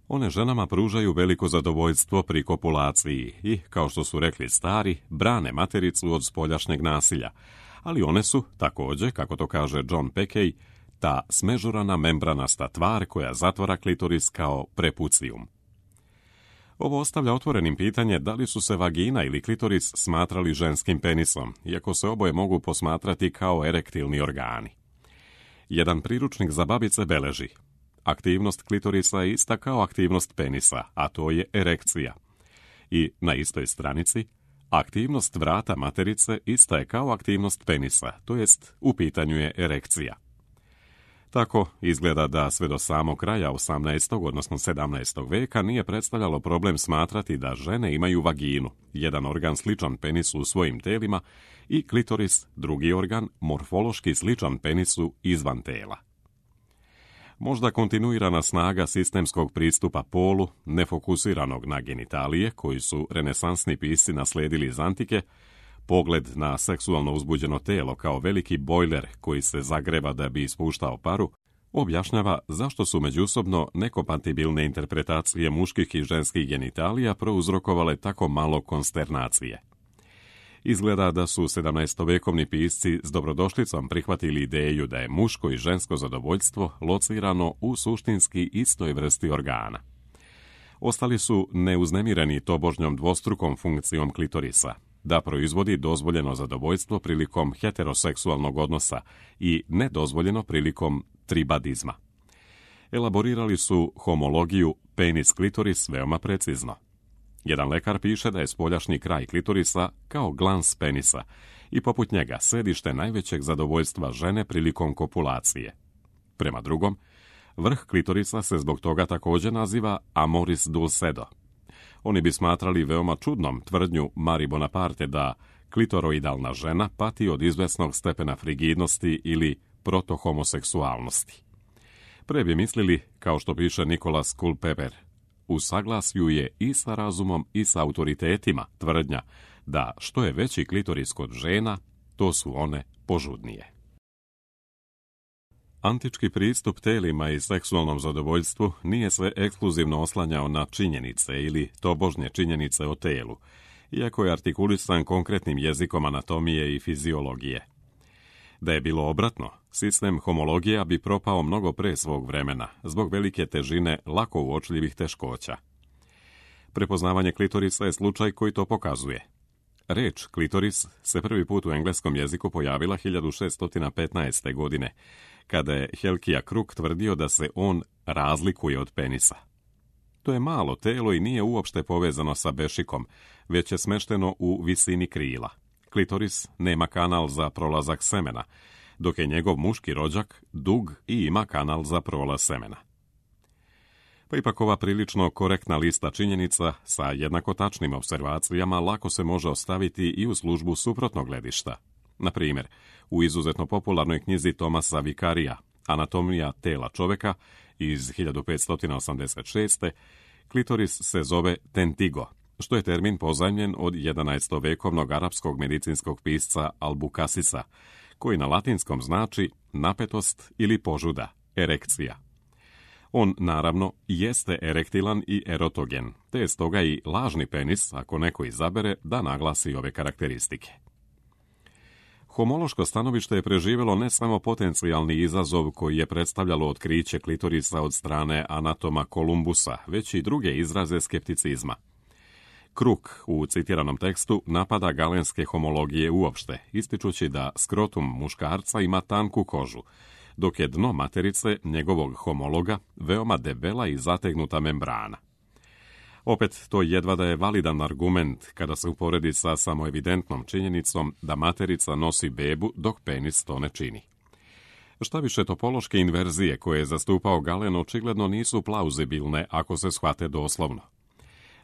One ženama pružaju veliko zadovoljstvo pri kopulaciji i, kao što su rekli stari, brane matericu od spoljašnjeg nasilja, ali one su, također, kako to kaže John Peckey, ta smežurana membranasta tvar koja zatvara klitoris kao prepucijum. Ovo ostavlja otvorenim pitanje da li su se vagina ili klitoris smatrali ženskim penisom, iako se oboje mogu posmatrati kao erektilni organi. Jedan priručnik za babice beleži: aktivnost klitorisa je ista kao aktivnost penisa, a to je erekcija. I na istoj stranici, aktivnost vrata materice ista je kao aktivnost penisa, to jest u pitanju je erekcija. Tako izgleda da sve do samog kraja osamnaestog odnosno sedamnaestog veka nije predstavljalo problem smatrati da žene imaju vaginu, jedan organ sličan penisu u svojim telima, i klitoris, drugi organ, morfološki sličan penisu izvan tela. Možda kontinuirana snaga sistemskog pristupa polu, nefokusiranog na genitalije, koji su renesansni pisci nasledili iz antike, pogled na seksualno uzbuđeno telo kao veliki bojler koji se zagreva da bi ispuštao paru, objašnjava zašto su međusobno nekompatibilne interpretacije muških i ženskih genitalija prouzrokovale tako malo konsternacije. Izgleda da su sedamnaestovekovni pisci s dobrodošlicom prihvatili ideju da je muško i žensko zadovoljstvo locirano u suštinski istoj vrsti organa. Ostali su neuznemireni tobožnjom dvostrukom funkcijom klitorisa, da proizvodi dozvoljeno zadovoljstvo prilikom heteroseksualnog odnosa i nedozvoljeno prilikom tribadizma. Elaborirali su homologiju penis-klitoris veoma precizno. Jedan lekar piše da je spoljašnji kraj klitorisa kao glans penisa i poput njega sedište najvećeg zadovoljstva žene prilikom kopulacije. Prema drugom, vrh klitorisa se zbog toga također naziva amoris dulcedo. Oni bi smatrali veoma čudnom tvrdnju Marie Bonaparte da klitoroidalna žena pati od izvesnog stepena frigidnosti ili protohomoseksualnosti. Pre bi mislili, kao što piše Nicholas Culpeper, u saglasju je i sa razumom i sa autoritetima tvrdnja da što je veći klitoris kod žena, to su one požudnije. Antički pristup telima i seksualnom zadovoljstvu nije se ekskluzivno oslanjao na činjenice ili tobožnje činjenice o telu, iako je artikulisan konkretnim jezikom anatomije i fiziologije. Da je bilo obratno, sistem homologija bi propao mnogo pre svog vremena, zbog velike težine lako uočljivih teškoća. Prepoznavanje klitorisa je slučaj koji to pokazuje. Reč klitoris se prvi put u engleskom jeziku pojavila hiljadu šeststo petnaeste. godine, kada je Helkija Kruk tvrdio da se on razlikuje od penisa. To je malo telo i nije uopšte povezano sa bešikom, već je smešteno u visini krila. Klitoris nema kanal za prolazak semena, dok je njegov muški rođak dug i ima kanal za prolaz semena. Pa ipak ova prilično korektna lista činjenica sa jednako tačnim observacijama lako se može ostaviti i u službu suprotnog gledišta. Na primjer, u izuzetno popularnoj knjizi Tomasa Vikarija Anatomija tela čoveka iz hiljadu petsto osamdeset šeste. klitoris se zove tentigo, što je termin pozajmljen od jedanaestovekovnog arapskog medicinskog pisca Albukasisa, koji na latinskom znači napetost ili požuda, erekcija. On, naravno, jeste erektilan i erotogen, te je stoga i lažni penis, ako neko izabere, da naglasi ove karakteristike. Homološko stanovište je preživjelo ne samo potencijalni izazov koji je predstavljalo otkriće klitorisa od strane anatoma Kolumbusa, već i druge izraze skepticizma. Kruk u citiranom tekstu napada galenske homologije uopšte, ističući da skrotum muškarca ima tanku kožu, dok je dno materice njegovog homologa veoma debela i zategnuta membrana. Opet, to jedva da je validan argument kada se uporedi sa samoevidentnom činjenicom da materica nosi bebu dok penis to ne čini. Šta više, topološke inverzije koje je zastupao Galen očigledno nisu plauzibilne ako se shvate doslovno.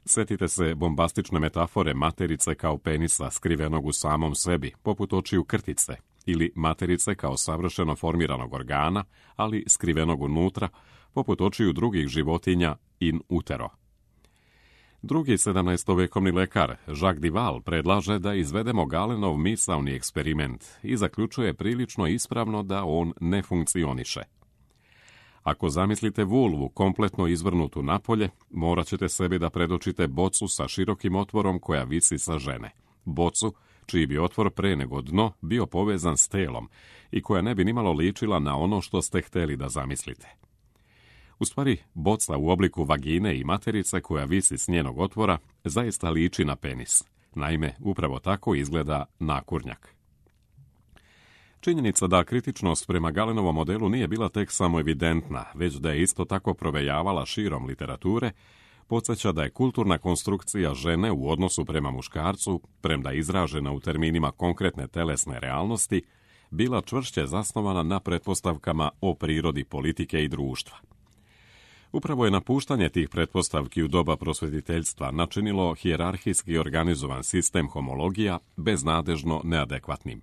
Sjetite se bombastične metafore materice kao penisa skrivenog u samom sebi, poput očiju krtice, ili materice kao savršeno formiranog organa, ali skrivenog unutra, poput očiju drugih životinja in utero. Drugi sedamnaestovekovni lekar, Jacques Dival, predlaže da izvedemo Galenov misaoni eksperiment i zaključuje prilično ispravno da on ne funkcioniše. Ako zamislite vulvu kompletno izvrnutu napolje, morat ćete sebi da predočite bocu sa širokim otvorom koja visi sa žene. Bocu čiji bi otvor pre nego dno bio povezan s telom i koja ne bi nimalo ličila na ono što ste hteli da zamislite. U stvari, boca u obliku vagine i materice koja visi s njenog otvora zaista liči na penis. Naime, upravo tako izgleda nakurnjak. Činjenica da kritičnost prema Galenovom modelu nije bila tek samo evidentna, već da je isto tako provejavala širom literature, podsjeća da je kulturna konstrukcija žene u odnosu prema muškarcu, premda izražena u terminima konkretne telesne realnosti, bila čvršće zasnovana na pretpostavkama o prirodi politike i društva. Upravo je napuštanje tih pretpostavki u doba prosvetiteljstva načinilo hijerarhijski organizovan sistem homologija beznadežno neadekvatnim.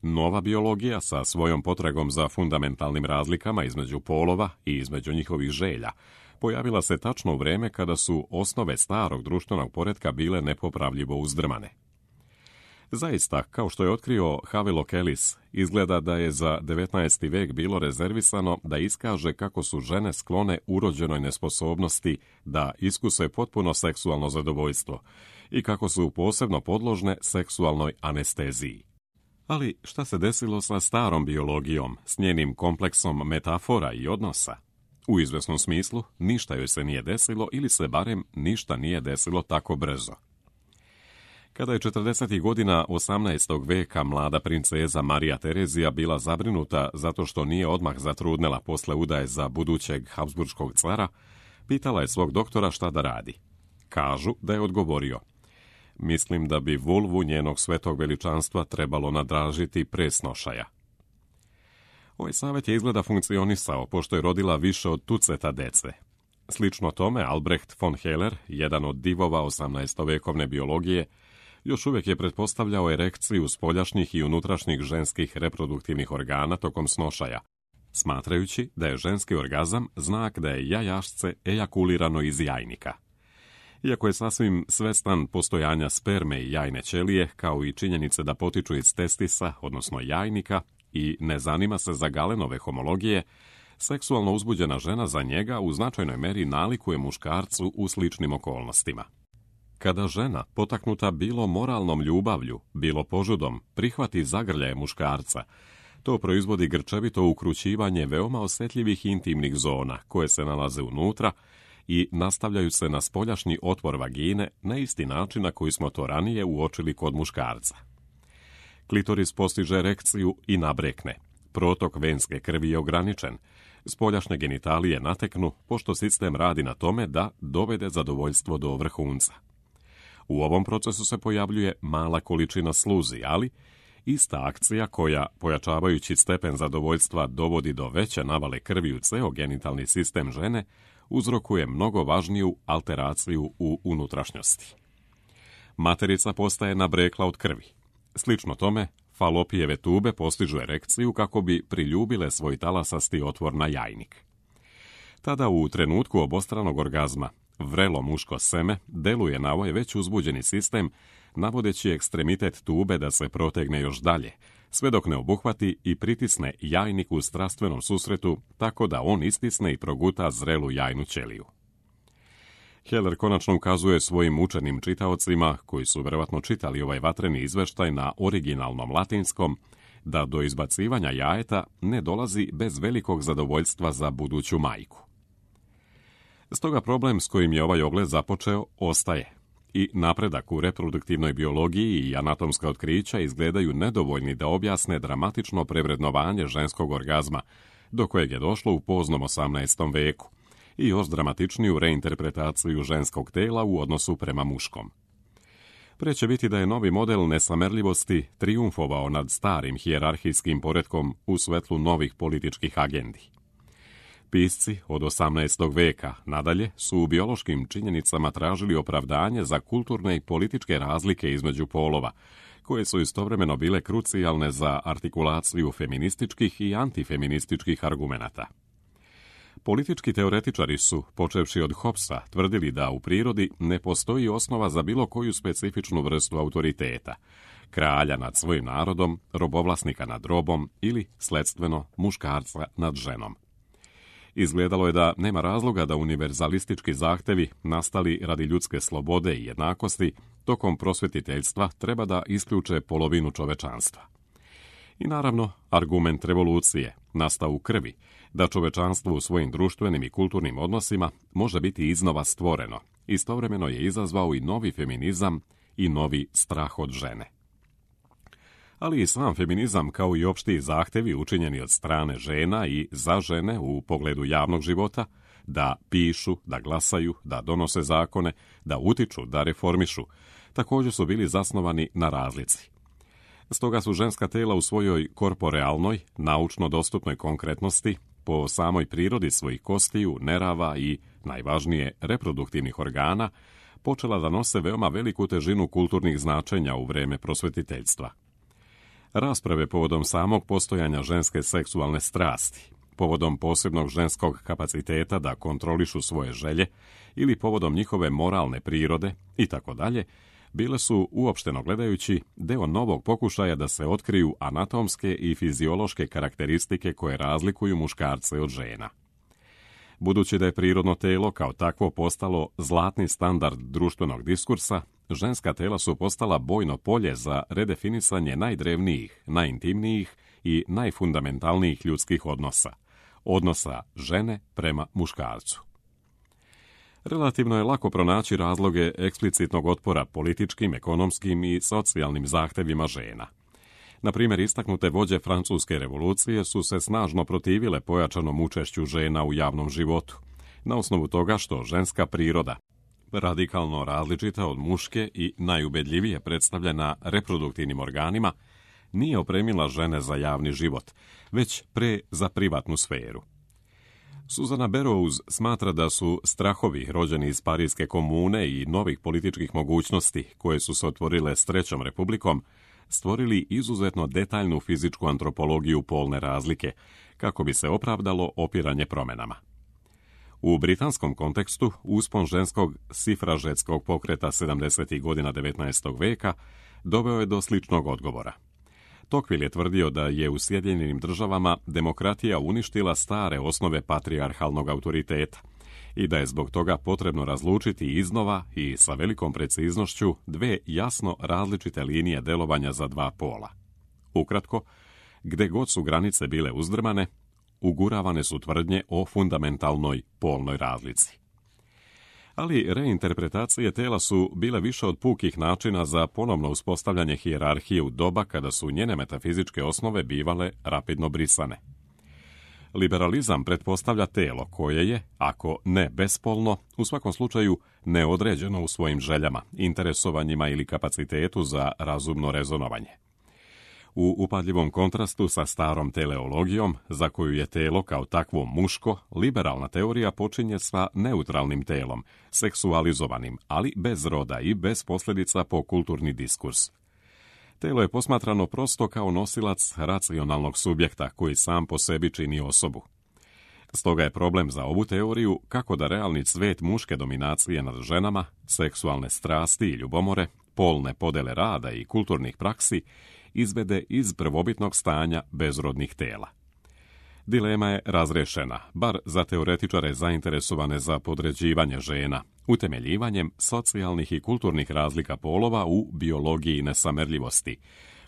Nova biologija sa svojom potragom za fundamentalnim razlikama između polova i između njihovih želja pojavila se tačno u vreme kada su osnove starog društvenog poretka bile nepopravljivo uzdrmane. Zaista, kao što je otkrio Havelock Ellis, izgleda da je za devetnaesti vek bilo rezervisano da iskaže kako su žene sklone urođenoj nesposobnosti da iskuse potpuno seksualno zadovoljstvo i kako su posebno podložne seksualnoj anesteziji. Ali šta se desilo sa starom biologijom, s njenim kompleksom metafora i odnosa? U izvesnom smislu, ništa joj se nije desilo ili se barem ništa nije desilo tako brzo. Kada je četrdesetih godina osamnaestog veka mlada princeza Marija Terezija bila zabrinuta zato što nije odmah zatrudnela posle udaje za budućeg habsburškog cara, pitala je svog doktora šta da radi. Kažu da je odgovorio: mislim da bi vulvu njenog svetog veličanstva trebalo nadražiti pre snošaja. Ovaj savjet je izgleda funkcionisao, pošto je rodila više od tuceta dece. Slično tome, Albrecht von Heller, jedan od divova osamnaestovekovne biologije, još uvijek je pretpostavljao erekciju spoljašnjih i unutrašnjih ženskih reproduktivnih organa tokom snošaja, smatrajući da je ženski orgazam znak da je jajašce ejakulirano iz jajnika. Iako je sasvim svestan postojanja sperme i jajne ćelije, kao i činjenice da potiču iz testisa, odnosno jajnika, i ne zanima se za Galenove homologije, seksualno uzbuđena žena za njega u značajnoj meri nalikuje muškarcu u sličnim okolnostima. Kada žena, potaknuta bilo moralnom ljubavlju, bilo požudom, prihvati zagrljaje muškarca, to proizvodi grčevito ukrućivanje veoma osjetljivih intimnih zona koje se nalaze unutra i nastavljaju se na spoljašnji otvor vagine na isti način na koji smo to ranije uočili kod muškarca. Klitoris postiže erekciju i nabrekne. Protok venske krvi je ograničen. Spoljašnje genitalije nateknu, pošto sistem radi na tome da dovede zadovoljstvo do vrhunca. U ovom procesu se pojavljuje mala količina sluzi, ali ista akcija koja, pojačavajući stepen zadovoljstva, dovodi do veće navale krvi u ceo genitalni sistem žene, uzrokuje mnogo važniju alteraciju u unutrašnjosti. Materica postaje nabrekla od krvi. Slično tome, falopijeve tube postižu erekciju kako bi priljubile svoj talasasti otvor na jajnik. Tada u trenutku obostranog orgazma vrelo muško seme deluje na ovaj već uzbuđeni sistem, navodeći ekstremitet tube da se protegne još dalje, sve dok ne obuhvati i pritisne jajnik u strastvenom susretu, tako da on istisne i proguta zrelu jajnu ćeliju. Heller konačno ukazuje svojim učenim čitaocima, koji su vjerovatno čitali ovaj vatreni izveštaj na originalnom latinskom, da do izbacivanja jajeta ne dolazi bez velikog zadovoljstva za buduću majku. Stoga problem s kojim je ovaj ogled započeo ostaje i napredak u reproduktivnoj biologiji i anatomska otkrića izgledaju nedovoljni da objasne dramatično prevrednovanje ženskog orgazma, do kojeg je došlo u poznom osamnaestom veku, i još dramatičniju reinterpretaciju ženskog tela u odnosu prema muškom. Pre će biti da je novi model nesamerljivosti trijumfovao nad starim hijerarhijskim poretkom u svetlu novih političkih agendi. Pisci od osamnaestog veka nadalje su u biološkim činjenicama tražili opravdanje za kulturne i političke razlike između polova, koje su istovremeno bile krucijalne za artikulaciju feminističkih i antifeminističkih argumenata. Politički teoretičari su, počevši od Hobbesa, tvrdili da u prirodi ne postoji osnova za bilo koju specifičnu vrstu autoriteta, kralja nad svojim narodom, robovlasnika nad robom ili, sledstveno, muškarca nad ženom. Izgledalo je da nema razloga da univerzalistički zahtevi, nastali radi ljudske slobode i jednakosti, tokom prosvetiteljstva treba da isključe polovinu čovečanstva. I naravno, argument revolucije, nastao u krvi, da čovečanstvo u svojim društvenim i kulturnim odnosima može biti iznova stvoreno, istovremeno je izazvao i novi feminizam i novi strah od žene. Ali i sam feminizam, kao i opšti zahtevi učinjeni od strane žena i za žene u pogledu javnog života, da pišu, da glasaju, da donose zakone, da utiču, da reformišu, također su bili zasnovani na razlici. Stoga su ženska tela u svojoj korporealnoj, naučno dostupnoj konkretnosti, po samoj prirodi svojih kostiju, nerava i, najvažnije, reproduktivnih organa, počela da nose veoma veliku težinu kulturnih značenja u vreme prosvetiteljstva. Rasprave povodom samog postojanja ženske seksualne strasti, povodom posebnog ženskog kapaciteta da kontrolišu svoje želje ili povodom njihove moralne prirode itd., bile su, uopšteno gledajući, deo novog pokušaja da se otkriju anatomske i fiziološke karakteristike koje razlikuju muškarce od žena. Budući da je prirodno telo kao takvo postalo zlatni standard društvenog diskursa, ženska tela su postala bojno polje za redefinisanje najdrevnijih, najintimnijih i najfundamentalnijih ljudskih odnosa, odnosa žene prema muškarcu. Relativno je lako pronaći razloge eksplicitnog otpora političkim, ekonomskim i socijalnim zahtevima žena. Na primjer, istaknute vođe Francuske revolucije su se snažno protivile pojačanom učešću žena u javnom životu, na osnovu toga što ženska priroda, radikalno različita od muške i najubedljivije predstavljena reproduktivnim organima, nije opremila žene za javni život, već pre za privatnu sferu. Susana Berrows smatra da su strahovi rođeni iz Parijske komune i novih političkih mogućnosti koje su se otvorile s Trećom republikom stvorili izuzetno detaljnu fizičku antropologiju polne razlike, kako bi se opravdalo opiranje promjenama. U britanskom kontekstu uspon ženskog sifražetskog pokreta sedamdesetih godina devetnaestog veka doveo je do sličnog odgovora. Tocqueville je tvrdio da je u Sjedinjenim državama demokratija uništila stare osnove patrijarhalnog autoriteta i da je zbog toga potrebno razlučiti iznova i sa velikom preciznošću dve jasno različite linije delovanja za dva pola. Ukratko, gde god su granice bile uzdrmane, uguravane su tvrdnje o fundamentalnoj polnoj razlici. Ali reinterpretacije tela su bile više od pukih načina za ponovno uspostavljanje hijerarhije u doba kada su njene metafizičke osnove bivale rapidno brisane. Liberalizam pretpostavlja telo koje je, ako ne bespolno, u svakom slučaju neodređeno u svojim željama, interesovanjima ili kapacitetu za razumno rezonovanje. U upadljivom kontrastu sa starom teleologijom, za koju je telo kao takvo muško, liberalna teorija počinje sa neutralnim telom, seksualizovanim, ali bez roda i bez posljedica po kulturni diskurs. Telo je posmatrano prosto kao nosilac racionalnog subjekta koji sam po sebi čini osobu. Stoga je problem za ovu teoriju kako da realni cvet muške dominacije nad ženama, seksualne strasti i ljubomore, polne podele rada i kulturnih praksi izvede iz prvobitnog stanja bezrodnih tela. Dilema je razrešena, bar za teoretičare zainteresovane za podređivanje žena, utemeljivanjem socijalnih i kulturnih razlika polova u biologiji nesamerljivosti,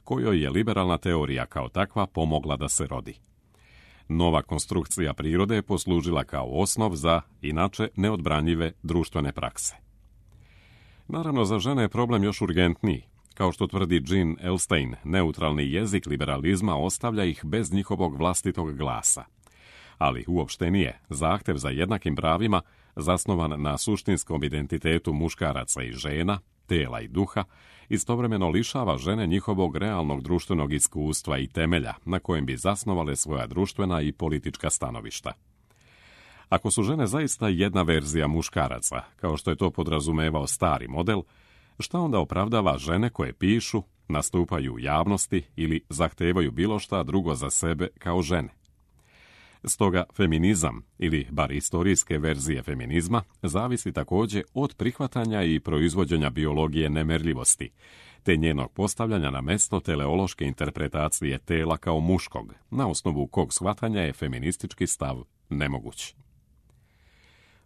kojoj je liberalna teorija kao takva pomogla da se rodi. Nova konstrukcija prirode je poslužila kao osnov za, inače, neodbranjive društvene prakse. Naravno, za žene je problem još urgentniji. Kao što tvrdi Jean Elstein, neutralni jezik liberalizma ostavlja ih bez njihovog vlastitog glasa. Ali uopštenije, zahtev za jednakim pravima, zasnovan na suštinskom identitetu muškaraca i žena, tela i duha, istovremeno lišava žene njihovog realnog društvenog iskustva i temelja na kojem bi zasnovale svoja društvena i politička stanovišta. Ako su žene zaista jedna verzija muškaraca, kao što je to podrazumevao stari model, šta onda opravdava žene koje pišu, nastupaju u javnosti ili zahtevaju bilo šta drugo za sebe kao žene? Stoga feminizam, ili bar istorijske verzije feminizma, zavisi također od prihvatanja i proizvođenja biologije nemerljivosti, te njenog postavljanja na mesto teleološke interpretacije tela kao muškog, na osnovu kog shvatanja je feministički stav nemoguć.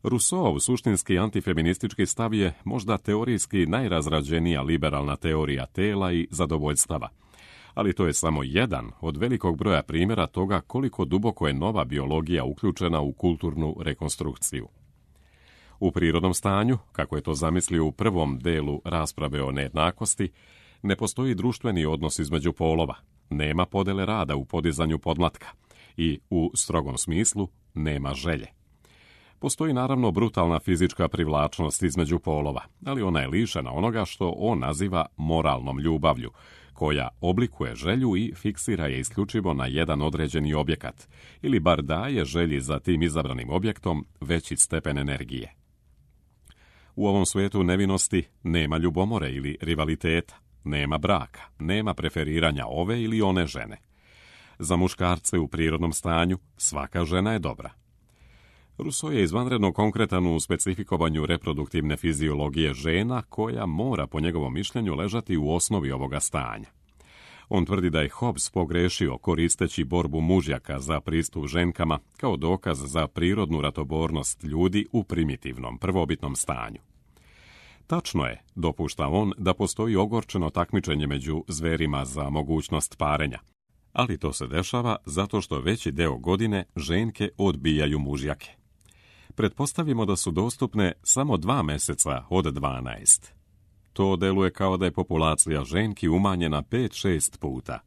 Rousseau suštinski antifeministički stav je možda teorijski najrazrađenija liberalna teorija tela i zadovoljstava, ali to je samo jedan od velikog broja primjera toga koliko duboko je nova biologija uključena u kulturnu rekonstrukciju. U prirodnom stanju, kako je to zamislio u prvom delu rasprave o nejednakosti, ne postoji društveni odnos između polova, nema podele rada u podizanju podmlatka i, u strogom smislu, nema želje. Postoji naravno brutalna fizička privlačnost između polova, ali ona je lišena onoga što on naziva moralnom ljubavlju, koja oblikuje želju i fiksira je isključivo na jedan određeni objekat, ili bar daje želji za tim izabranim objektom veći stepen energije. U ovom svijetu nevinosti nema ljubomore ili rivaliteta, nema braka, nema preferiranja ove ili one žene. Za muškarce u prirodnom stanju svaka žena je dobra. Rousseau je izvanredno konkretan u specifikovanju reproduktivne fiziologije žena koja mora po njegovom mišljenju ležati u osnovi ovoga stanja. On tvrdi da je Hobbes pogrešio koristeći borbu mužjaka za pristup ženkama kao dokaz za prirodnu ratobornost ljudi u primitivnom, prvobitnom stanju. Tačno je, dopušta on, da postoji ogorčeno takmičenje među zverima za mogućnost parenja, ali to se dešava zato što veći deo godine ženke odbijaju mužjake. Pretpostavimo da su dostupne samo dva meseca od dvanaest. To deluje kao da je populacija ženki umanjena pet šest puta.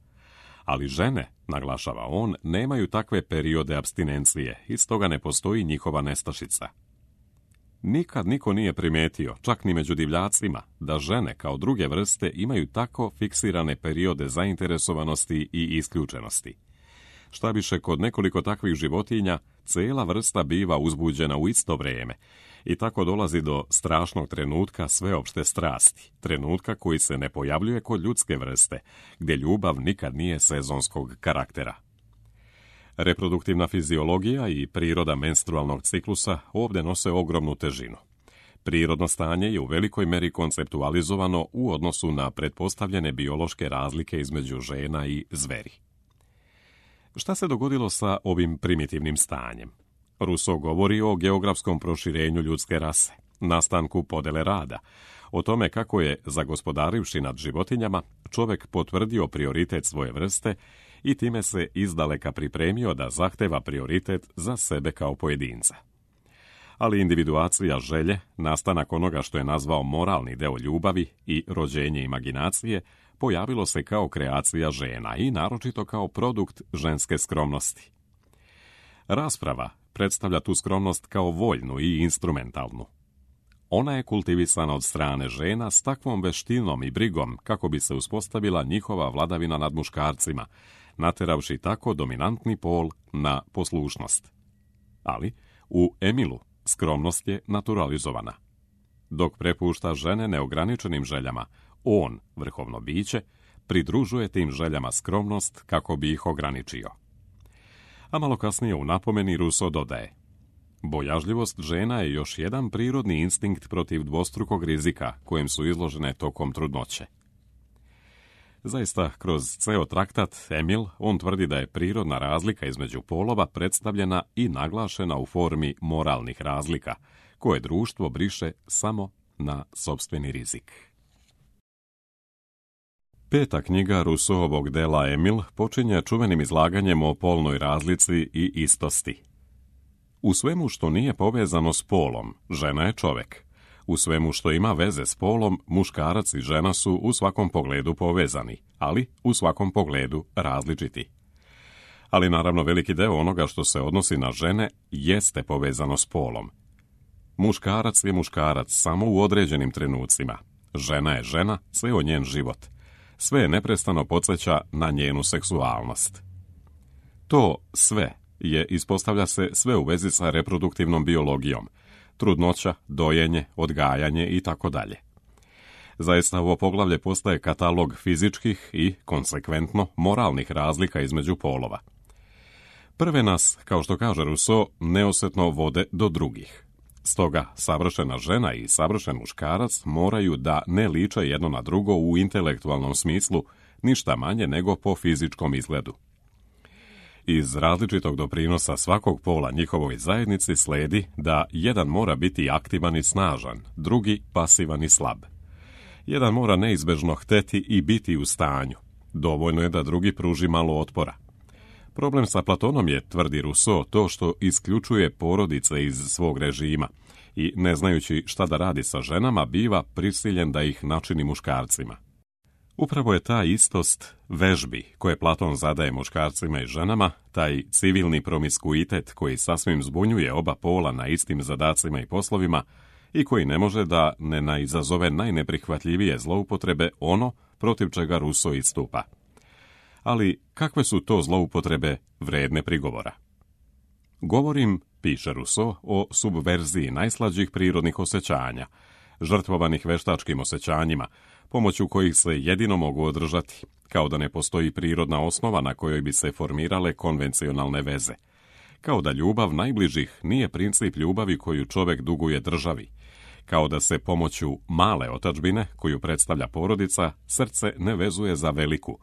Ali žene, naglašava on, nemaju takve periode apstinencije i stoga ne postoji njihova nestašica. Nikad niko nije primetio, čak ni među divljacima, da žene kao druge vrste imaju tako fiksirane periode zainteresovanosti i isključenosti. Šta više, kod nekoliko takvih životinja, cijela vrsta biva uzbuđena u isto vrijeme i tako dolazi do strašnog trenutka sveopšte strasti, trenutka koji se ne pojavljuje kod ljudske vrste, gdje ljubav nikad nije sezonskog karaktera. Reproduktivna fiziologija i priroda menstrualnog ciklusa ovdje nose ogromnu težinu. Prirodno stanje je u velikoj meri konceptualizovano u odnosu na pretpostavljene biološke razlike između žena i zveri. Šta se dogodilo sa ovim primitivnim stanjem? Rousseau govori o geografskom proširenju ljudske rase, nastanku podele rada, o tome kako je, zagospodarivši nad životinjama, čovjek potvrdio prioritet svoje vrste i time se izdaleka pripremio da zahteva prioritet za sebe kao pojedinca. Ali individuacija želje, nastanak onoga što je nazvao moralni deo ljubavi i rođenje imaginacije, pojavilo se kao kreacija žena i naročito kao produkt ženske skromnosti. Rasprava predstavlja tu skromnost kao voljnu i instrumentalnu. Ona je kultivisana od strane žena s takvom veštinom i brigom kako bi se uspostavila njihova vladavina nad muškarcima, nateravši tako dominantni pol na poslušnost. Ali u Emilu skromnost je naturalizovana. Dok prepušta žene neograničenim željama, on, vrhovno biće, pridružuje tim željama skromnost kako bi ih ograničio. A malo kasnije u napomeni Rousseau dodaje: bojažljivost žena je još jedan prirodni instinkt protiv dvostrukog rizika kojem su izložene tokom trudnoće. Zaista, kroz ceo traktat Emil, on tvrdi da je prirodna razlika između polova predstavljena i naglašena u formi moralnih razlika, koje društvo briše samo na sopstveni rizik. Peta knjiga Rousseauovog dela Emil počinje čuvenim izlaganjem o polnoj razlici i istosti. U svemu što nije povezano s polom, žena je čovjek. U svemu što ima veze s polom, muškarac i žena su u svakom pogledu povezani, ali u svakom pogledu različiti. Ali naravno veliki deo onoga što se odnosi na žene jeste povezano s polom. Muškarac je muškarac samo u određenim trenucima. Žena je žena, sve o njen život. Sve je neprestano podsjeća na njenu seksualnost. To sve je, ispostavlja se, sve u vezi sa reproduktivnom biologijom, trudnoća, dojenje, odgajanje i tako dalje. Zaista ovo poglavlje postaje katalog fizičkih i, konsekventno, moralnih razlika između polova. Prve nas, kao što kaže Rousseau, neosjetno vode do drugih. Stoga, savršena žena i savršen muškarac moraju da ne liče jedno na drugo u intelektualnom smislu, ništa manje nego po fizičkom izgledu. Iz različitog doprinosa svakog pola njihovoj zajednici sledi da jedan mora biti aktivan i snažan, drugi pasivan i slab. Jedan mora neizbežno hteti i biti u stanju. Dovoljno je da drugi pruži malo otpora. Problem sa Platonom je, tvrdi Rousseau, to što isključuje porodice iz svog režima i, ne znajući šta da radi sa ženama, biva prisiljen da ih načini muškarcima. Upravo je ta istost vežbi koje Platon zadaje muškarcima i ženama, taj civilni promiskuitet koji sasvim zbunjuje oba pola na istim zadacima i poslovima i koji ne može da ne naizazove najneprihvatljivije zloupotrebe, ono protiv čega Rousseau istupa. Ali kakve su to zloupotrebe vredne prigovora? Govorim, piše Rousseau, o subverziji najslađih prirodnih osjećanja, žrtvovanih veštačkim osjećanjima, pomoću kojih se jedino mogu održati, kao da ne postoji prirodna osnova na kojoj bi se formirale konvencionalne veze. Kao da ljubav najbližih nije princip ljubavi koju čovjek duguje državi. Kao da se pomoću male otadžbine, koju predstavlja porodica, srce ne vezuje za veliku.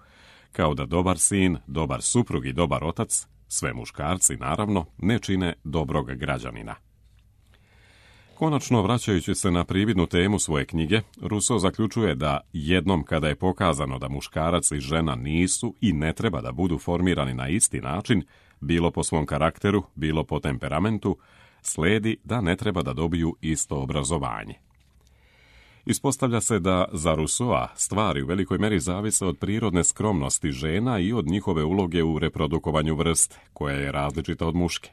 Kao da dobar sin, dobar suprug i dobar otac, sve muškarci naravno, ne čine dobrog građanina. Konačno, vraćajući se na prividnu temu svoje knjige, Rousseau zaključuje da jednom kada je pokazano da muškarac i žena nisu i ne treba da budu formirani na isti način, bilo po svom karakteru, bilo po temperamentu, sledi da ne treba da dobiju isto obrazovanje. Ispostavlja se da za Rousseaua stvari u velikoj meri zavise od prirodne skromnosti žena i od njihove uloge u reprodukovanju vrste, koja je različita od muške.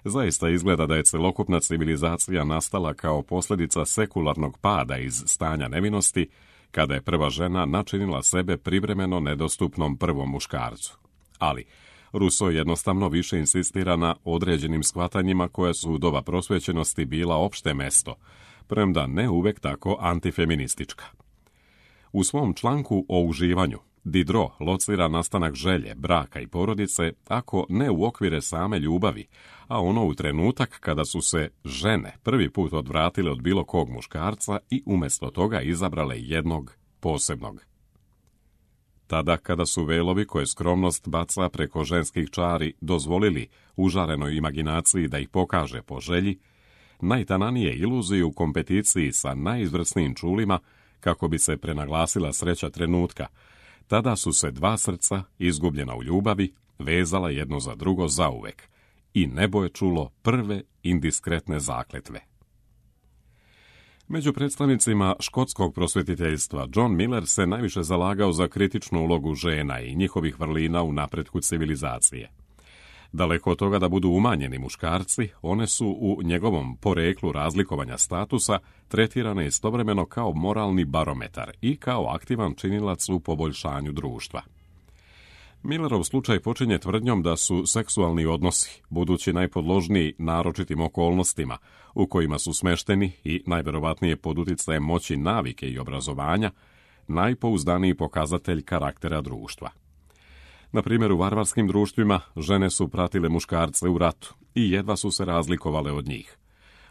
Zaista izgleda da je celokupna civilizacija nastala kao posljedica sekularnog pada iz stanja nevinosti, kada je prva žena načinila sebe privremeno nedostupnom prvom muškarcu. Ali Rousseau jednostavno više insistira na određenim shvatanjima koja su u doba prosvećenosti bila opšte mesto, premda ne uvek tako antifeministička. U svom članku o uživanju, Diderot locira nastanak želje, braka i porodice, ako ne u okvire same ljubavi, a ono u trenutak kada su se žene prvi put odvratile od bilo kog muškarca i umjesto toga izabrale jednog posebnog. tada kada su velovi koje skromnost baca preko ženskih čari dozvolili užarenoj imaginaciji da ih pokaže po želji, najtananije iluzije u kompeticiji sa najizvrsnijim čulima kako bi se prenaglasila sreća trenutka, tada su se dva srca, izgubljena u ljubavi, vezala jedno za drugo zauvek i nebo je čulo prve indiskretne zakletve. Među predstavnicima škotskog prosvjetiteljstva John Miller se najviše zalagao za kritičnu ulogu žena i njihovih vrlina u napretku civilizacije. Daleko od toga da budu umanjeni muškarci, one su u njegovom poreklu razlikovanja statusa tretirane istovremeno kao moralni barometar i kao aktivan činilac u poboljšanju društva. Millerov slučaj počinje tvrdnjom da su seksualni odnosi, budući najpodložniji naročitim okolnostima u kojima su smešteni i najverovatnije pod uticajem moći navike i obrazovanja, najpouzdaniji pokazatelj karaktera društva. Na primjer, u varvarskim društvima žene su pratile muškarce u ratu i jedva su se razlikovale od njih.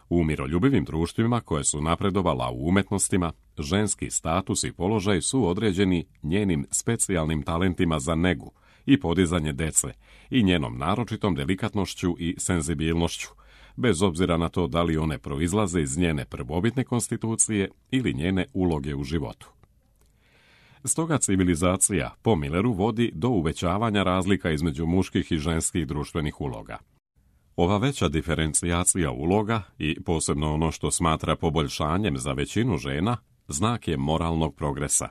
U miroljubivim društvima koje su napredovala u umetnostima, ženski status i položaj su određeni njenim specijalnim talentima za negu i podizanje dece i njenom naročitom delikatnošću i senzibilnošću, bez obzira na to da li one proizlaze iz njene prvobitne konstitucije ili njene uloge u životu. Stoga civilizacija, po Milleru, vodi do uvećavanja razlika između muških i ženskih društvenih uloga. Ova veća diferencijacija uloga i posebno ono što smatra poboljšanjem za većinu žena, znak je moralnog progresa.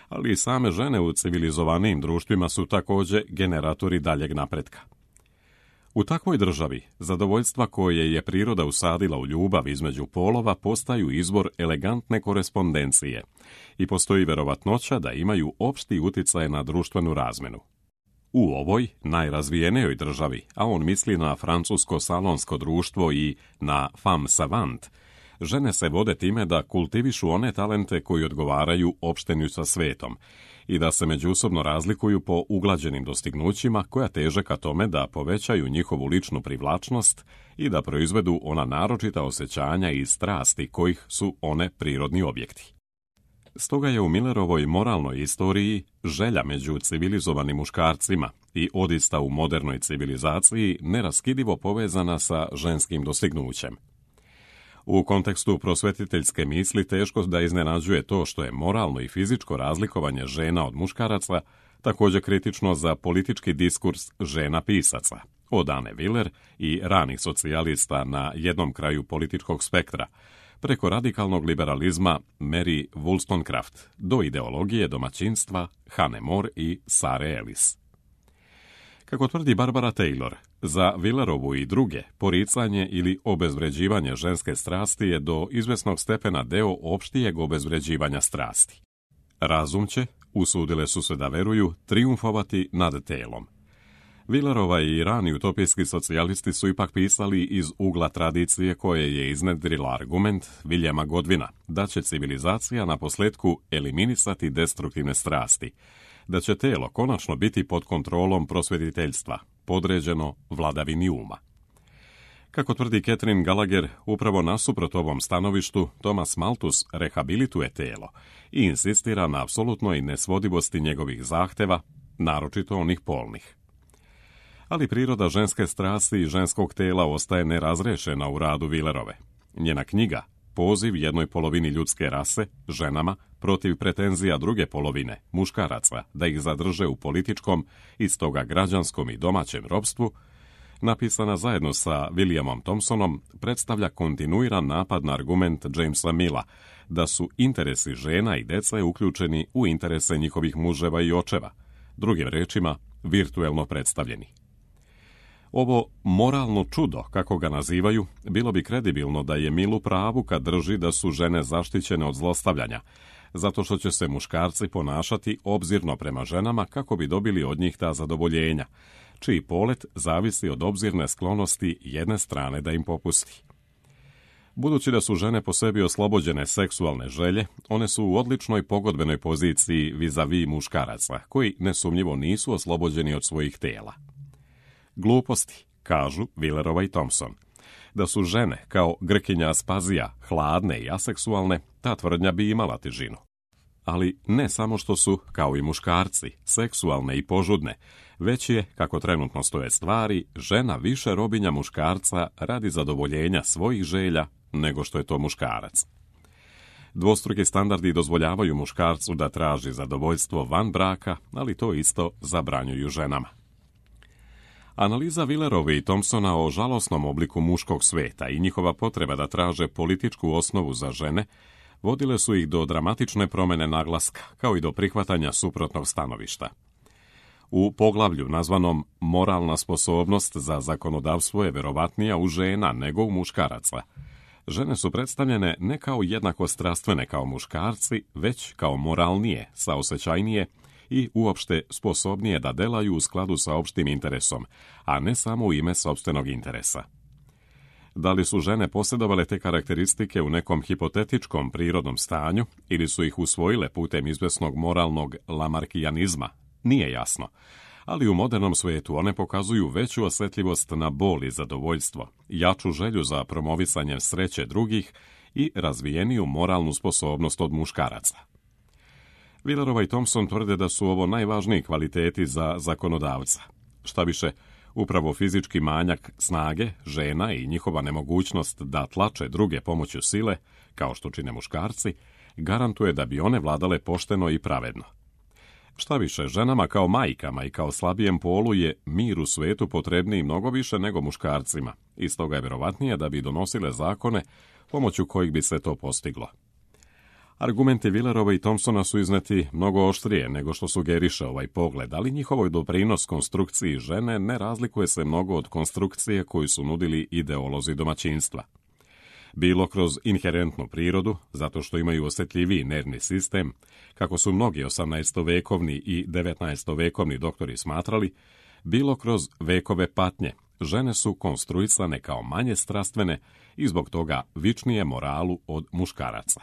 Ali i same žene u civilizovanijim društvima su također generatori daljeg napretka. U takvoj državi, zadovoljstva koje je priroda usadila u ljubav između polova postaju izvor elegantne korespondencije i postoji verovatnoća da imaju opšti uticaj na društvenu razmenu. U ovoj najrazvijenijoj državi, a on misli na francusko-salonsko društvo i na femme savant, žene se vode time da kultivišu one talente koji odgovaraju opštenju sa svetom i da se međusobno razlikuju po uglađenim dostignućima koja teže ka tome da povećaju njihovu ličnu privlačnost i da proizvedu ona naročita osjećanja i strasti kojih su one prirodni objekti. Stoga je u Millerovoj moralnoj istoriji želja među civilizovanim muškarcima i odista u modernoj civilizaciji neraskidivo povezana sa ženskim dostignućem. U kontekstu prosvetiteljske misli teško da iznenađuje to što je moralno i fizičko razlikovanje žena od muškaraca također kritično za politički diskurs žena pisaca, od Anne Willer i ranih socijalista na jednom kraju političkog spektra, preko radikalnog liberalizma Mary Wollstonecraft do ideologije domaćinstva Hannah More i Sare Ellis. Kako tvrdi Barbara Taylor, za Willerovu i druge poricanje ili obezvređivanje ženske strasti je do izvesnog stepena deo opštijeg obezvređivanja strasti. Razum će, usudile su se da veruju, trijumfovati nad telom. Willerova i rani utopijski socijalisti su ipak pisali iz ugla tradicije koje je iznedrila argument Williama Godwina da će civilizacija na posljedku eliminisati destruktivne strasti, da će telo konačno biti pod kontrolom prosvjetiteljstva, podređeno vladavini uma. Kako tvrdi Catherine Gallagher, upravo nasuprot ovom stanovištu, Thomas Malthus rehabilituje telo i insistira na apsolutnoj nesvodivosti njegovih zahteva, naročito onih polnih. Ali priroda ženske strasti i ženskog tela ostaje nerazrešena u radu Willerove. Njena knjiga, poziv jednoj polovini ljudske rase, ženama, protiv pretenzija druge polovine, muškaraca, da ih zadrže u političkom i stoga građanskom i domaćem ropstvu, napisana zajedno sa Williamom Thompsonom, predstavlja kontinuiran napad na argument Jamesa Milla da su interesi žena i dece uključeni u interese njihovih muževa i očeva, drugim rečima, virtuelno predstavljeni. Ovo moralno čudo, kako ga nazivaju, bilo bi kredibilno da je Mill u pravu kad drži da su žene zaštićene od zlostavljanja, zato što će se muškarci ponašati obzirno prema ženama kako bi dobili od njih ta zadovoljenja, čiji polet zavisi od obzirne sklonosti jedne strane da im popusti. Budući da su žene po sebi oslobođene seksualne želje, one su u odličnoj pogodbenoj poziciji vis-a-vis muškaraca, koji nesumnjivo nisu oslobođeni od svojih tela. Gluposti, kažu Willerova i Thompson. Da su žene, kao Grkinja Aspazija, hladne i aseksualne, ta tvrdnja bi imala težinu. ali ne samo što su, kao i muškarci, seksualne i požudne, već je, kako trenutno stoje stvari, žena više robinja muškarca radi zadovoljenja svojih želja nego što je to muškarac. Dvostruki standardi dozvoljavaju muškarcu da traži zadovoljstvo van braka, ali to isto zabranjuju ženama. Analiza Villerove i Thompsona o žalosnom obliku muškog sveta i njihova potreba da traže političku osnovu za žene vodile su ih do dramatične promjene naglaska, kao i do prihvatanja suprotnog stanovišta. U poglavlju nazvanom Moralna sposobnost za zakonodavstvo je verovatnija u žena nego u muškaraca. Žene su predstavljene ne kao jednako strastvene kao muškarci, već kao moralnije, saosećajnije i uopšte sposobnije da delaju u skladu sa opštim interesom, a ne samo u ime sopstvenog interesa. Da li su žene posjedovale te karakteristike u nekom hipotetičkom prirodnom stanju ili su ih usvojile putem izvesnog moralnog lamarkijanizma, nije jasno, ali u modernom svijetu one pokazuju veću osjetljivost na bol i zadovoljstvo, jaču želju za promovisanje sreće drugih i razvijeniju moralnu sposobnost od muškaraca. Villerova i Thompson tvrde da su ovo najvažniji kvaliteti za zakonodavca. Šta više, upravo fizički manjak snage žena i njihova nemogućnost da tlače druge pomoću sile, kao što čine muškarci, garantuje da bi one vladale pošteno i pravedno. Šta više, ženama kao majkama i kao slabijem polu je mir u svetu potrebniji mnogo više nego muškarcima, i stoga je vjerovatnije da bi donosile zakone pomoću kojih bi se to postiglo. Argumenti Villerova i Thompsona su izneti mnogo oštrije nego što sugeriše ovaj pogled, ali njihovoj doprinos konstrukciji žene ne razlikuje se mnogo od konstrukcije koju su nudili ideolozi domaćinstva. Bilo kroz inherentnu prirodu, zato što imaju osjetljiviji nervni sistem, kako su mnogi osamnaestovekovni i devetnaestovekovni doktori smatrali, bilo kroz vekove patnje, žene su konstruisane kao manje strastvene i zbog toga vičnije moralu od muškaraca.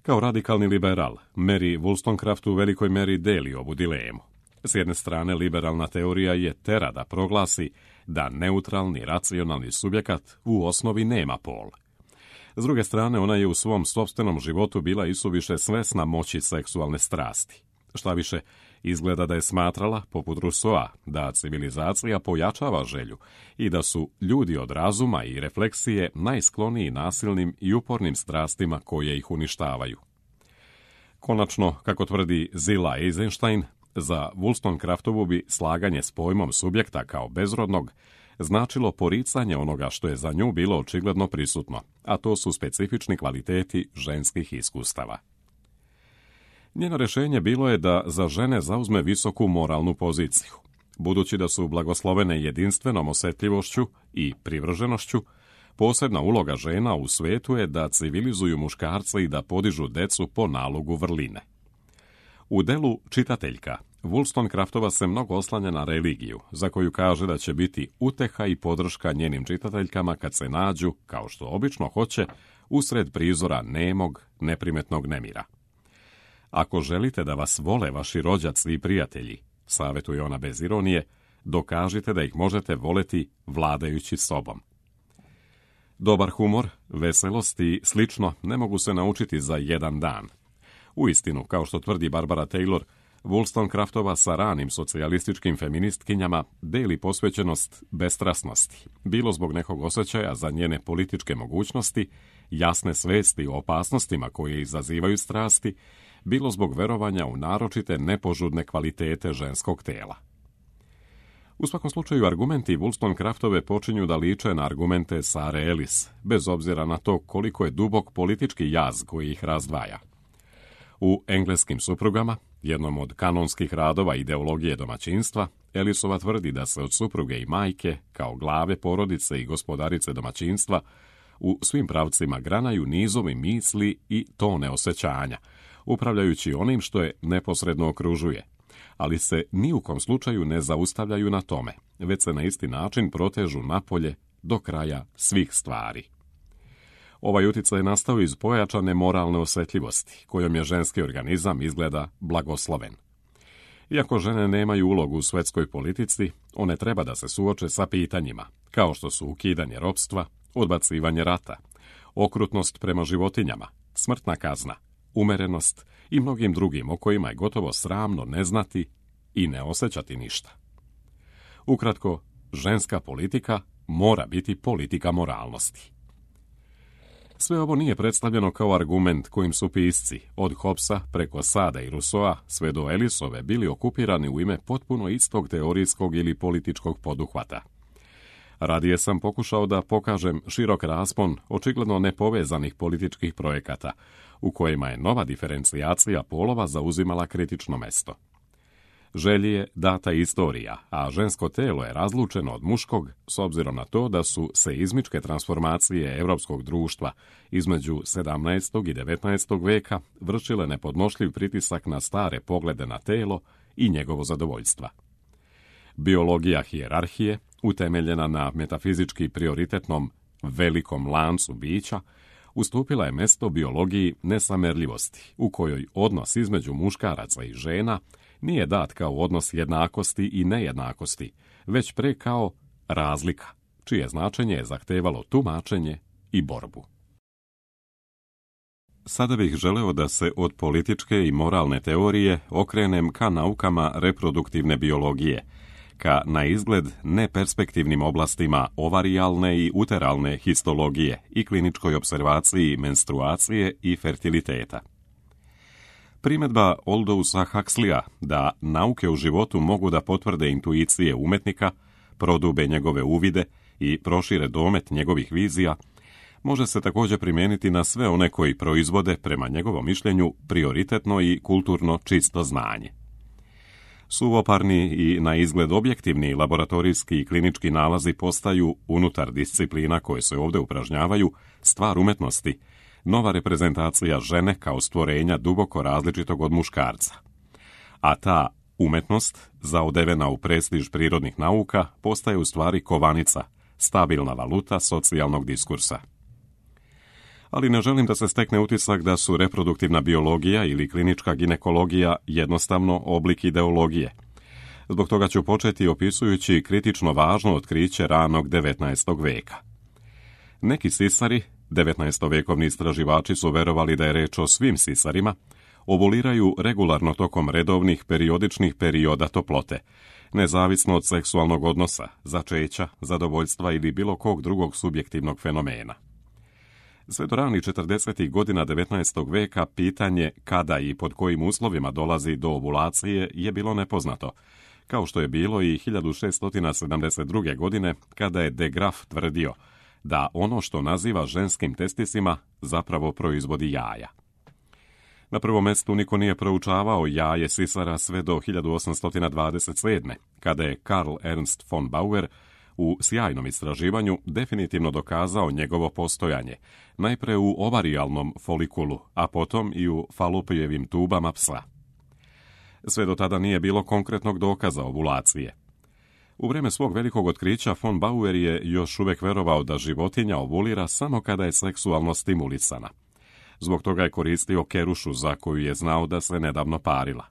Kao radikalni liberal, Mary Wollstonecraft u velikoj meri deli ovu dilemu. S jedne strane, liberalna teorija je tera da proglasi da neutralni, racionalni subjekat u osnovi nema pol. S druge strane, ona je u svom sopstvenom životu bila isuviše svesna moći seksualne strasti. Šta više, izgleda da je smatrala, poput Rousseaua, da civilizacija pojačava želju i da su ljudi od razuma i refleksije najskloniji nasilnim i upornim strastima koje ih uništavaju. Konačno, kako tvrdi Zilla Eisenstein, za Wollstonecraftovu bi slaganje s pojmom subjekta kao bezrodnog značilo poricanje onoga što je za nju bilo očigledno prisutno, a to su specifični kvaliteti ženskih iskustava. Njeno rješenje bilo je da za žene zauzme visoku moralnu poziciju. Budući da su blagoslovene jedinstvenom osjetljivošću i privrženošću, posebna uloga žena u svetu je da civilizuju muškarce i da podižu decu po nalogu vrline. U delu Čitateljka, Wollstonecraftova se mnogo oslanja na religiju, za koju kaže da će biti uteha i podrška njenim čitateljkama kad se nađu, kao što obično hoće, usred prizora nemog, neprimetnog nemira. Ako želite da vas vole vaši rođaci i prijatelji, savjetuje ona bez ironije, dokažite da ih možete voleti vladajući sobom. Dobar humor, veselost i slično ne mogu se naučiti za jedan dan. Uistinu, kao što tvrdi Barbara Taylor, Wollstonecraftova sa ranim socijalističkim feministkinjama deli posvećenost bestrasnosti, bilo zbog nekog osjećaja za njene političke mogućnosti, jasne svesti o opasnostima koje izazivaju strasti, bilo zbog verovanja u naročite nepožudne kvalitete ženskog tela. U svakom slučaju, argumenti Wollstonecraftove počinju da liče na argumente Sare Ellis, bez obzira na to koliko je dubok politički jaz koji ih razdvaja. U Engleskim suprugama, jednom od kanonskih radova ideologije domaćinstva, Ellisova tvrdi da se od supruge i majke, kao glave porodice i gospodarice domaćinstva, u svim pravcima granaju nizovi misli i tone osjećanja, upravljajući onim što je neposredno okružuje, ali se ni u kom slučaju ne zaustavljaju na tome, već se na isti način protežu napolje do kraja svih stvari. Ovaj utjecaj je nastao iz pojačane moralne osjetljivosti, kojom je ženski organizam izgleda blagosloven. Iako žene nemaju ulogu u svetskoj politici, one treba da se suoče sa pitanjima, kao što su ukidanje ropstva, odbacivanje rata, okrutnost prema životinjama, smrtna kazna, umerenost i mnogim drugim o kojima je gotovo sramno ne znati i ne osjećati ništa. Ukratko, ženska politika mora biti politika moralnosti. Sve ovo nije predstavljeno kao argument kojim su pisci, od Hobbesa preko Sada i Rousseaua sve do Ellisove, bili okupirani u ime potpuno istog teorijskog ili političkog poduhvata. Radije sam pokušao da pokažem širok raspon očigledno nepovezanih političkih projekata, u kojima je nova diferencijacija polova zauzimala kritično mesto. Želji je data istorija, a žensko telo je razlučeno od muškog s obzirom na to da su seizmičke transformacije europskog društva između sedamnaestog i devetnaestog veka vršile nepodnošljiv pritisak na stare poglede na telo i njegovo zadovoljstva. Biologija hijerarhije, utemeljena na metafizički prioritetnom velikom lancu bića, ustupila je mesto biologiji nesamerljivosti, u kojoj odnos između muškaraca i žena nije dat kao odnos jednakosti i nejednakosti, već pre kao razlika, čije značenje je zahtevalo tumačenje i borbu. Sada bih želeo da se od političke i moralne teorije okrenem ka naukama reproduktivne biologije, ka na izgled neperspektivnim oblastima ovarijalne i uteralne histologije i kliničkoj observaciji menstruacije i fertiliteta. Primjedba Aldousa Huxleya da nauke u životu mogu da potvrde intuicije umetnika, prodube njegove uvide i prošire domet njegovih vizija, može se također primijeniti na sve one koji proizvode, prema njegovom mišljenju, prioritetno i kulturno čisto znanje. Suvoparni i na izgled objektivni laboratorijski i klinički nalazi postaju, unutar disciplina koje se ovdje upražnjavaju, stvar umetnosti, nova reprezentacija žene kao stvorenja duboko različitog od muškarca. A ta umetnost, zaodevena u prestiž prirodnih nauka, postaje u stvari kovanica, stabilna valuta socijalnog diskursa. Ali ne želim da se stekne utisak da su reproduktivna biologija ili klinička ginekologija jednostavno oblik ideologije. Zbog toga ću početi opisujući kritično važno otkriće ranog devetnaestog veka. Neki sisari, devetnaestovekovni istraživači su verovali da je reč o svim sisarima, ovuliraju regularno tokom redovnih periodičnih perioda toplote, nezavisno od seksualnog odnosa, začeća, zadovoljstva ili bilo kog drugog subjektivnog fenomena. Sve do ranih četrdesetih godina devetnaestog veka pitanje kada i pod kojim uslovima dolazi do ovulacije je bilo nepoznato, kao što je bilo i hiljadu šeststo sedamdeset druge. godine kada je de Graaf tvrdio da ono što naziva ženskim testisima zapravo proizvodi jaja. Na prvom mjestu niko nije proučavao jaje sisara sve do hiljadu osamsto dvadeset sedme. kada je Karl Ernst von Bauer u sjajnom istraživanju definitivno dokazao njegovo postojanje, najpre u ovarijalnom folikulu, a potom i u falopijevim tubama psa. Sve do tada nije bilo konkretnog dokaza ovulacije. U vrijeme svog velikog otkrića von Bauer je još uvijek verovao da životinja ovulira samo kada je seksualno stimulisana. Zbog toga je koristio kerušu za koju je znao da se nedavno parila.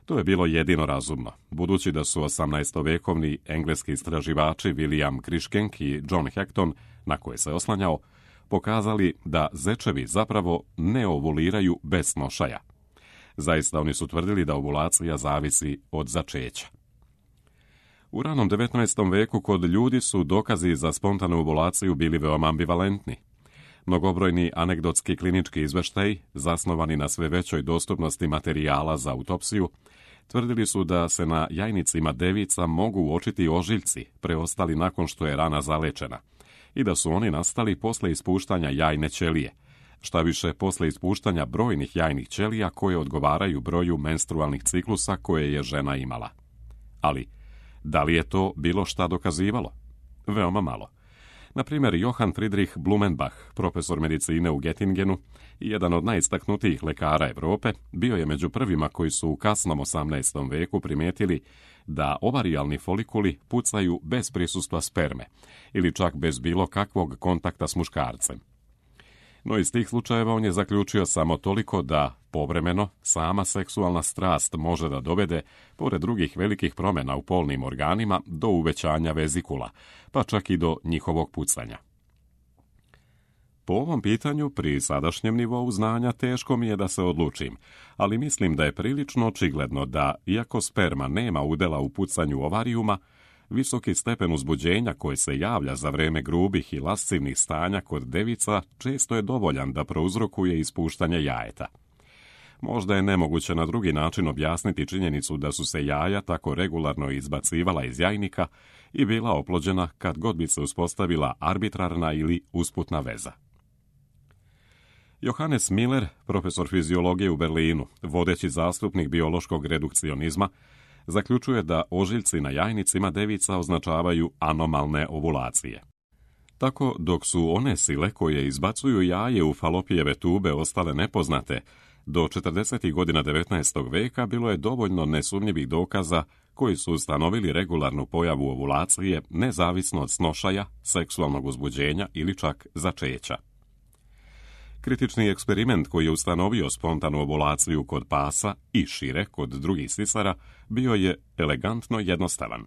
To je bilo jedino razumno, budući da su osamnaestovekovni engleski istraživači William Cruikshank i John Hecton, na koje se oslanjao, pokazali da zečevi zapravo ne ovuliraju bez snošaja. Zaista oni su tvrdili da ovulacija zavisi od začeća. U ranom devetnaestom veku kod ljudi su dokazi za spontanu ovulaciju bili veoma ambivalentni. Mnogobrojni anegdotski klinički izveštaji, zasnovani na sve većoj dostupnosti materijala za autopsiju, tvrdili su da se na jajnicima devica mogu uočiti ožiljci preostali nakon što je rana zalečena i da su oni nastali posle ispuštanja jajne ćelije, šta više posle ispuštanja brojnih jajnih ćelija koje odgovaraju broju menstrualnih ciklusa koje je žena imala. Ali, da li je to bilo šta dokazivalo? Veoma malo. Na primjer, Johann Friedrich Blumenbach, profesor medicine u Göttingenu i jedan od najistaknutijih lekara Europe, bio je među prvima koji su u kasnom osamnaestom veku primijetili da ovarijalni folikuli pucaju bez prisustva sperme ili čak bez bilo kakvog kontakta s muškarcem. No iz tih slučajeva on je zaključio samo toliko da, povremeno, sama seksualna strast može da dovede, pored drugih velikih promjena u polnim organima, do uvećanja vezikula, pa čak i do njihovog pucanja. Po ovom pitanju, pri sadašnjem nivou znanja, teško mi je da se odlučim, ali mislim da je prilično očigledno da, iako sperma nema udjela u pucanju ovarijuma, visoki stepen uzbuđenja koji se javlja za vrijeme grubih i lascivnih stanja kod devica često je dovoljan da prouzrokuje ispuštanje jajeta. Možda je nemoguće na drugi način objasniti činjenicu da su se jaja tako regularno izbacivala iz jajnika i bila oplođena kad god bi se uspostavila arbitrarna ili usputna veza. Johannes Miller, profesor fiziologije u Berlinu, vodeći zastupnik biološkog redukcionizma, zaključuje da ožiljci na jajnicima devica označavaju anomalne ovulacije. Tako, dok su one sile koje izbacuju jaje u falopijeve tube ostale nepoznate, do četrdesetih godina devetnaestog veka bilo je dovoljno nesumnjivih dokaza koji su ustanovili regularnu pojavu ovulacije nezavisno od snošaja, seksualnog uzbuđenja ili čak začeća. Kritični eksperiment koji je ustanovio spontanu ovulaciju kod pasa i šire kod drugih sisara bio je elegantno jednostavan.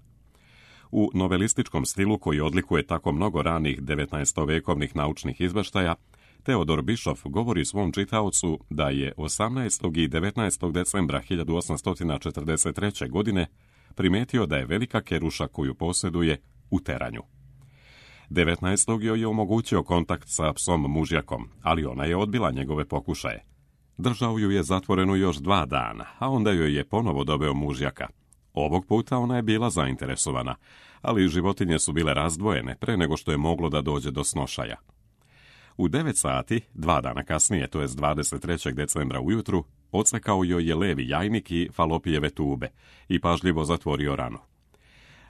U novelističkom stilu koji odlikuje tako mnogo ranih devetnaestovekovnih naučnih izveštaja, Theodor Bischoff govori svom čitaocu da je osamnaestog i devetnaestog decembra hiljadu osamsto četrdeset treće. godine primetio da je velika keruša koju posjeduje u teranju. devetnaestog joj je omogućio kontakt sa psom mužjakom, ali ona je odbila njegove pokušaje. Držao ju je zatvorenu još dva dana, a onda joj je ponovo doveo mužjaka. Ovog puta ona je bila zainteresovana, ali životinje su bile razdvojene pre nego što je moglo da dođe do snošaja. U devet sati, dva dana kasnije, to jest dvadeset trećeg decembra ujutru, odsekao joj je levi jajnik i falopijeve tube i pažljivo zatvorio ranu.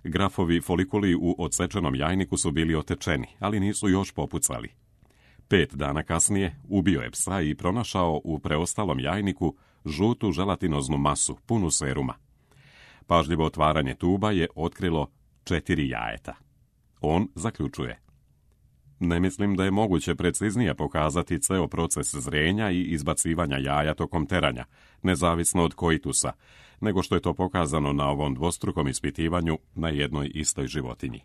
Grafovi folikuli u odsečenom jajniku su bili otečeni, ali nisu još popucali. Pet dana kasnije ubio je psa i pronašao u preostalom jajniku žutu želatinoznu masu, punu seruma. Pažljivo otvaranje tuba je otkrilo četiri jajeta. On zaključuje: ne mislim da je moguće preciznije pokazati ceo proces zrenja i izbacivanja jaja tokom teranja, nezavisno od koitusa, nego što je to pokazano na ovom dvostrukom ispitivanju na jednoj istoj životinji.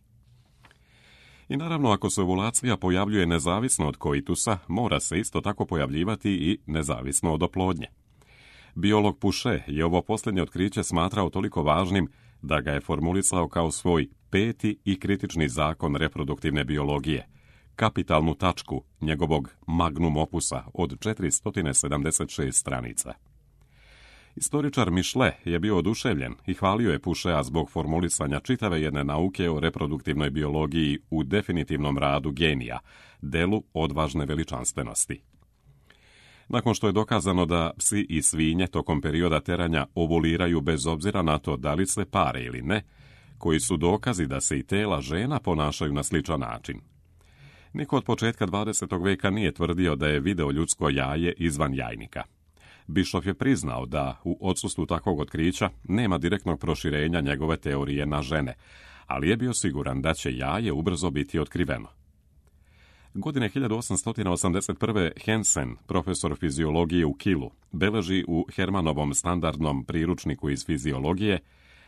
I naravno, ako se ovulacija pojavljuje nezavisno od koitusa, mora se isto tako pojavljivati i nezavisno od oplodnje. Biolog Pouchet je ovo posljednje otkriće smatrao toliko važnim da ga je formulisao kao svoj peti i kritični zakon reproduktivne biologije, kapitalnu tačku njegovog magnum opusa od četiristo sedamdeset šest stranica. Istoričar Michelet je bio oduševljen i hvalio je Poucheta zbog formulisanja čitave jedne nauke o reproduktivnoj biologiji u definitivnom radu genija, delu odvažne veličanstvenosti. Nakon što je dokazano da psi i svinje tokom perioda teranja ovuliraju bez obzira na to da li se pare ili ne, koji su dokazi da se i tela žena ponašaju na sličan način. Niko od početka dvadesetog veka nije tvrdio da je video ljudsko jaje izvan jajnika. Bischoff je priznao da u odsustvu takvog otkrića nema direktnog proširenja njegove teorije na žene, ali je bio siguran da će jaje ubrzo biti otkriveno. Godine hiljadu osamsto osamdeset prve. Hansen, profesor fiziologije u Kielu, beleži u Hermanovom standardnom priručniku iz fiziologije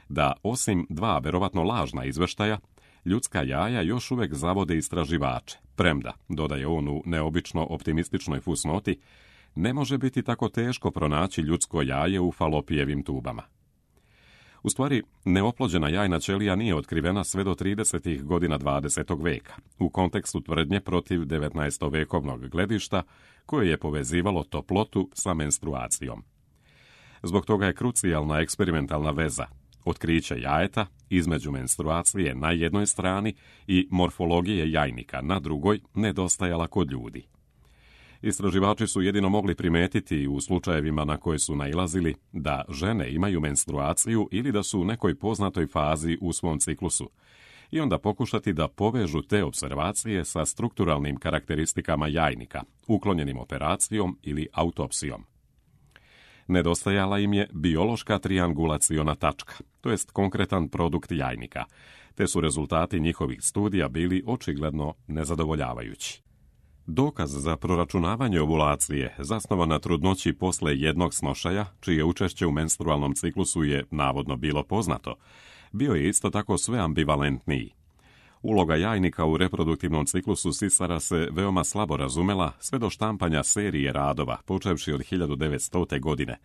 da osim dva verovatno lažna izveštaja, ljudska jaja još uvek zavode istraživače, premda, dodaje on u neobično optimističnoj fusnoti, ne može biti tako teško pronaći ljudsko jaje u falopijevim tubama. U stvari, neoplođena jajna ćelija nije otkrivena sve do tridesetih godina dvadesetog veka, u kontekstu tvrdnje protiv devetnaestovekovnog gledišta koje je povezivalo toplotu sa menstruacijom. Zbog toga je krucijalna eksperimentalna veza, otkriće jajeta između menstruacije na jednoj strani i morfologije jajnika na drugoj nedostajala kod ljudi. Istraživači su jedino mogli primetiti u slučajevima na koje su nailazili da žene imaju menstruaciju ili da su u nekoj poznatoj fazi u svom ciklusu i onda pokušati da povežu te observacije sa strukturalnim karakteristikama jajnika, uklonjenim operacijom ili autopsijom. Nedostajala im je biološka triangulaciona tačka, to jest konkretan produkt jajnika, te su rezultati njihovih studija bili očigledno nezadovoljavajući. Dokaz za proračunavanje ovulacije zasnovan na trudnoći posle jednog snošaja, čije učešće u menstrualnom ciklusu je navodno bilo poznato, bio je isto tako sve ambivalentniji. Uloga jajnika u reproduktivnom ciklusu sisara se veoma slabo razumela sve do štampanja serije radova, počevši od hiljadu devetstote. godine,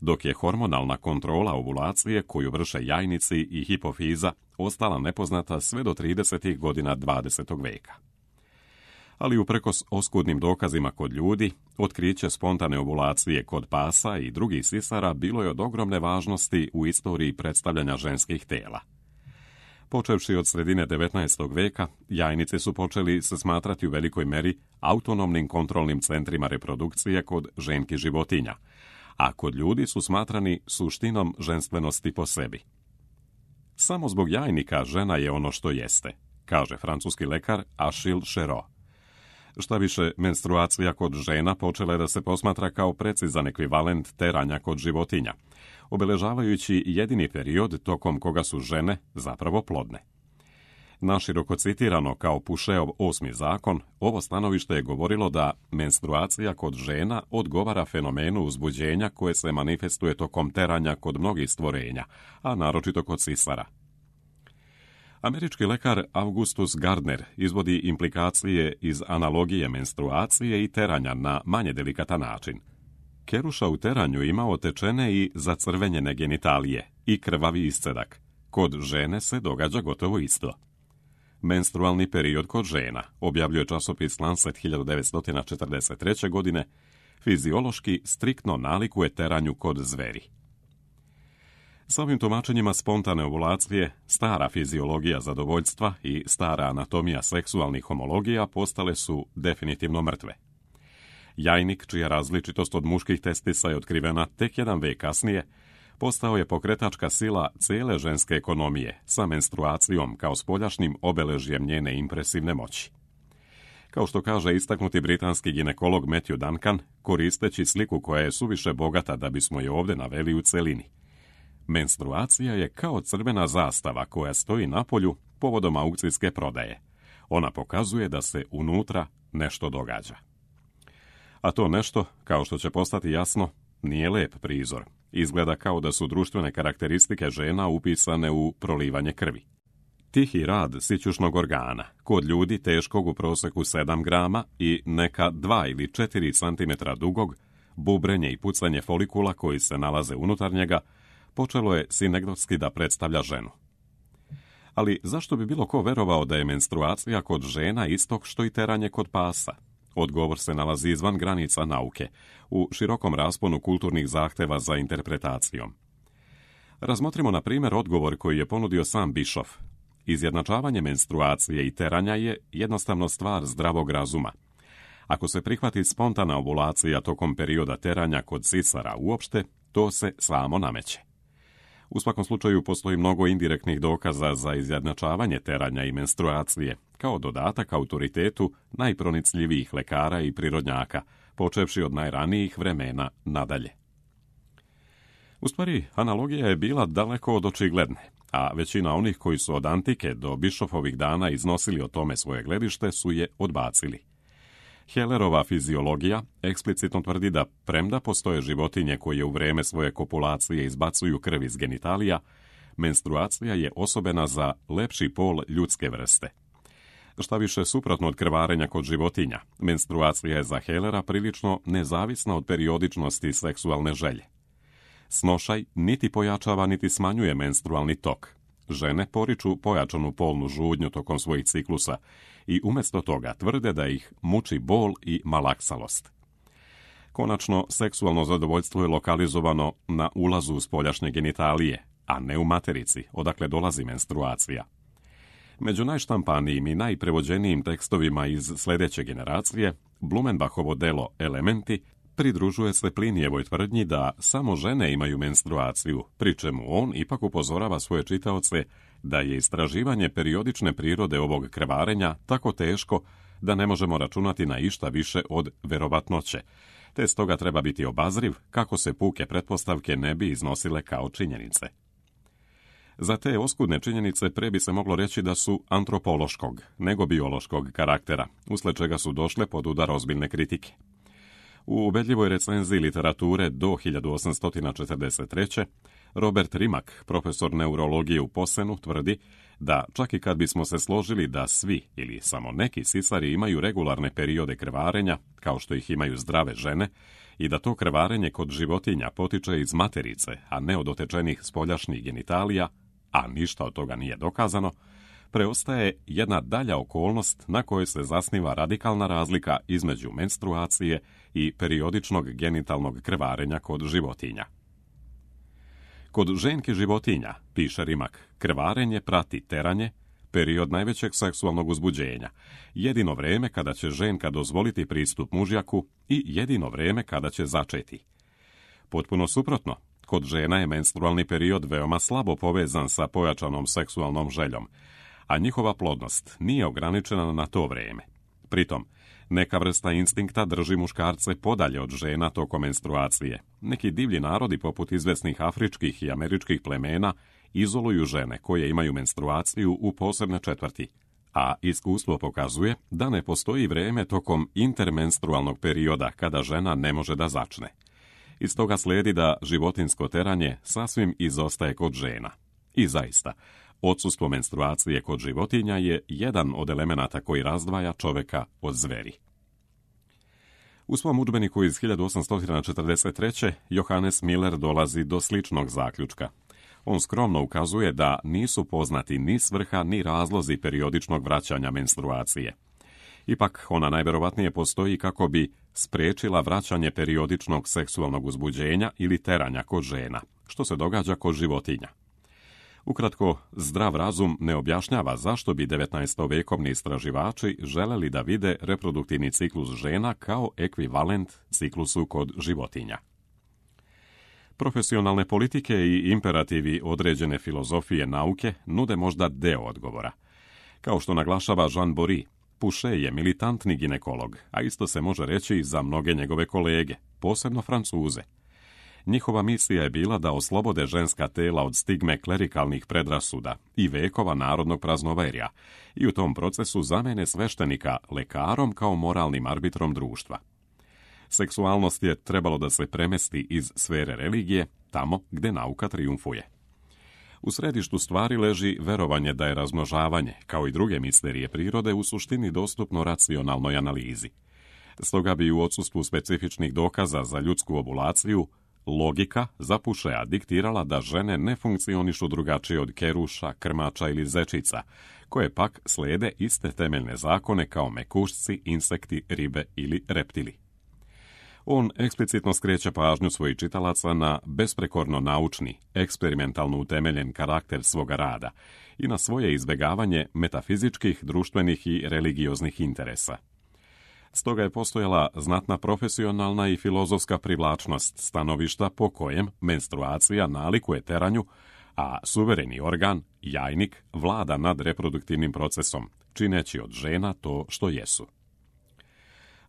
dok je hormonalna kontrola ovulacije koju vrše jajnici i hipofiza ostala nepoznata sve do tridesetih godina dvadesetog veka. Ali uprkos oskudnim dokazima kod ljudi, otkriće spontane ovulacije kod pasa i drugih sisara bilo je od ogromne važnosti u istoriji predstavljanja ženskih tela. Počevši od sredine devetnaestog. veka, jajnice su počeli se smatrati u velikoj meri autonomnim kontrolnim centrima reprodukcije kod ženki životinja, a kod ljudi su smatrani suštinom ženstvenosti po sebi. Samo zbog jajnika žena je ono što jeste, kaže francuski lekar Achille Cherot. Šta više, menstruacija kod žena počela je da se posmatra kao precizan ekvivalent teranja kod životinja, obeležavajući jedini period tokom koga su žene zapravo plodne. Naširoko citirano kao Pušeov osmi zakon, ovo stanovište je govorilo da menstruacija kod žena odgovara fenomenu uzbuđenja koje se manifestuje tokom teranja kod mnogih stvorenja, a naročito kod sisara. Američki lekar Augustus Gardner izvodi implikacije iz analogije menstruacije i teranja na manje delikatan način. Keruša u teranju ima otečene i zacrvenjene genitalije i krvavi iscedak. Kod žene se događa gotovo isto. Menstrualni period kod žena, objavljuje časopis Lancet hiljadu devetsto četrdeset treće. godine, fiziološki striktno nalikuje teranju kod zveri. S ovim tumačenjima spontane ovulacije, stara fiziologija zadovoljstva i stara anatomija seksualnih homologija postale su definitivno mrtve. Jajnik, čija različitost od muških testisa je otkrivena tek jedan vek kasnije, postao je pokretačka sila cijele ženske ekonomije sa menstruacijom kao spoljašnjim obeležjem njene impresivne moći. Kao što kaže istaknuti britanski ginekolog Matthew Duncan, koristeći sliku koja je suviše bogata da bismo je ovdje naveli u celini. Menstruacija je kao crvena zastava koja stoji na polju povodom aukcijske prodaje. Ona pokazuje da se unutra nešto događa. A to nešto, kao što će postati jasno, nije lep prizor. Izgleda kao da su društvene karakteristike žena upisane u prolivanje krvi. Tihi rad sićušnog organa, kod ljudi teškog u proseku sedam grama i neka dva ili četiri centimetra dugog, bubrenje i pucanje folikula koji se nalaze unutar njega, počelo je sinegdotski da predstavlja ženu. Ali zašto bi bilo ko verovao da je menstruacija kod žena istog što i teranje kod pasa? Odgovor se nalazi izvan granica nauke, u širokom rasponu kulturnih zahteva za interpretacijom. Razmotrimo na primjer odgovor koji je ponudio sam Bischoff. Izjednačavanje menstruacije i teranja je jednostavno stvar zdravog razuma. Ako se prihvati spontana ovulacija tokom perioda teranja kod sisara uopšte, to se samo nameće. U svakom slučaju postoji mnogo indirektnih dokaza za izjednačavanje teranja i menstruacije, kao dodatak autoritetu najpronicljivijih lekara i prirodnjaka, počevši od najranijih vremena nadalje. U stvari, analogija je bila daleko od očigledne, a većina onih koji su od antike do Bischoffovih dana iznosili o tome svoje gledište su je odbacili. Hellerova fiziologija eksplicitno tvrdi da, premda postoje životinje koje u vreme svoje kopulacije izbacuju krv iz genitalija, menstruacija je osobena za lepši pol ljudske vrste. Šta više, suprotno od krvarenja kod životinja, menstruacija je za Hellera prilično nezavisna od periodičnosti seksualne želje. Snošaj niti pojačava niti smanjuje menstrualni tok. Žene poriču pojačanu polnu žudnju tokom svojih ciklusa i umjesto toga tvrde da ih muči bol i malaksalost. Konačno, seksualno zadovoljstvo je lokalizovano na ulazu u spoljašnje genitalije, a ne u materici, odakle dolazi menstruacija. Među najštampanijim i najprevođenijim tekstovima iz sljedeće generacije, Blumenbachovo delo Elementi pridružuje se Plinijevoj tvrdnji da samo žene imaju menstruaciju, pri čemu on ipak upozorava svoje čitaoce da je istraživanje periodične prirode ovog krvarenja tako teško da ne možemo računati na išta više od verovatnoće, te stoga treba biti obazriv kako se puke pretpostavke ne bi iznosile kao činjenice. Za te oskudne činjenice pre bi se moglo reći da su antropološkog, nego biološkog karaktera, usled čega su došle pod udar ozbiljne kritike. U ubedljivoj recenziji literature do hiljadu osamsto četrdeset treće. Robert Rimak, profesor neurologije u Posenu, tvrdi da čak i kad bismo se složili da svi ili samo neki sisari imaju regularne periode krvarenja, kao što ih imaju zdrave žene, i da to krvarenje kod životinja potiče iz materice, a ne od otečenih spoljašnjih genitalija, a ništa od toga nije dokazano, preostaje jedna dalja okolnost na kojoj se zasniva radikalna razlika između menstruacije i periodičnog genitalnog krvarenja kod životinja. Kod ženki životinja, piše Rimak, krvarenje prati teranje, period najvećeg seksualnog uzbuđenja, jedino vreme kada će ženka dozvoliti pristup mužjaku i jedino vreme kada će začeti. Potpuno suprotno, kod žena je menstrualni period veoma slabo povezan sa pojačanom seksualnom željom, a njihova plodnost nije ograničena na to vreme. Pritom, neka vrsta instinkta drži muškarce podalje od žena tokom menstruacije. Neki divlji narodi, poput izvesnih afričkih i američkih plemena, izoluju žene koje imaju menstruaciju u posebne četvrti, a iskustvo pokazuje da ne postoji vreme tokom intermenstrualnog perioda kada žena ne može da začne. Iz toga slijedi da životinjsko teranje sasvim izostaje kod žena. I zaista, odsustvo menstruacije kod životinja je jedan od elemenata koji razdvaja čoveka od zveri. U svom udžbeniku iz hiljadu osamsto četrdeset treće. Johannes Miller dolazi do sličnog zaključka. On skromno ukazuje da nisu poznati ni svrha ni razlozi periodičnog vraćanja menstruacije. Ipak, ona najverovatnije postoji kako bi spriječila vraćanje periodičnog seksualnog uzbuđenja ili teranja kod žena, što se događa kod životinja. Ukratko, zdrav razum ne objašnjava zašto bi devetnaestovekovni istraživači želeli da vide reproduktivni ciklus žena kao ekvivalent ciklusu kod životinja. Profesionalne politike i imperativi određene filozofije nauke nude možda deo odgovora. Kao što naglašava Jean Bory, Pouchet je militantni ginekolog, a isto se može reći i za mnoge njegove kolege, posebno Francuze. Njihova misija je bila da oslobode ženska tela od stigme klerikalnih predrasuda i vekova narodnog praznoverja i u tom procesu zamene sveštenika lekarom kao moralnim arbitrom društva. Seksualnost je trebalo da se premesti iz sfere religije, tamo gde nauka trijumfuje. U središtu stvari leži verovanje da je razmnožavanje, kao i druge misterije prirode, u suštini dostupno racionalnoj analizi. Stoga bi u odsustvu specifičnih dokaza za ljudsku ovulaciju, logika za Poucheta diktirala da žene ne funkcionišu drugačije od keruša, krmača ili zečica, koje pak slijede iste temeljne zakone kao mekušci, insekti, ribe ili reptili. On eksplicitno skreće pažnju svojih čitalaca na besprekorno naučni, eksperimentalno utemeljen karakter svoga rada i na svoje izbjegavanje metafizičkih, društvenih i religioznih interesa. Stoga je postojala znatna profesionalna i filozofska privlačnost stanovišta po kojem menstruacija nalikuje teranju, a suvereni organ, jajnik, vlada nad reproduktivnim procesom, čineći od žena to što jesu.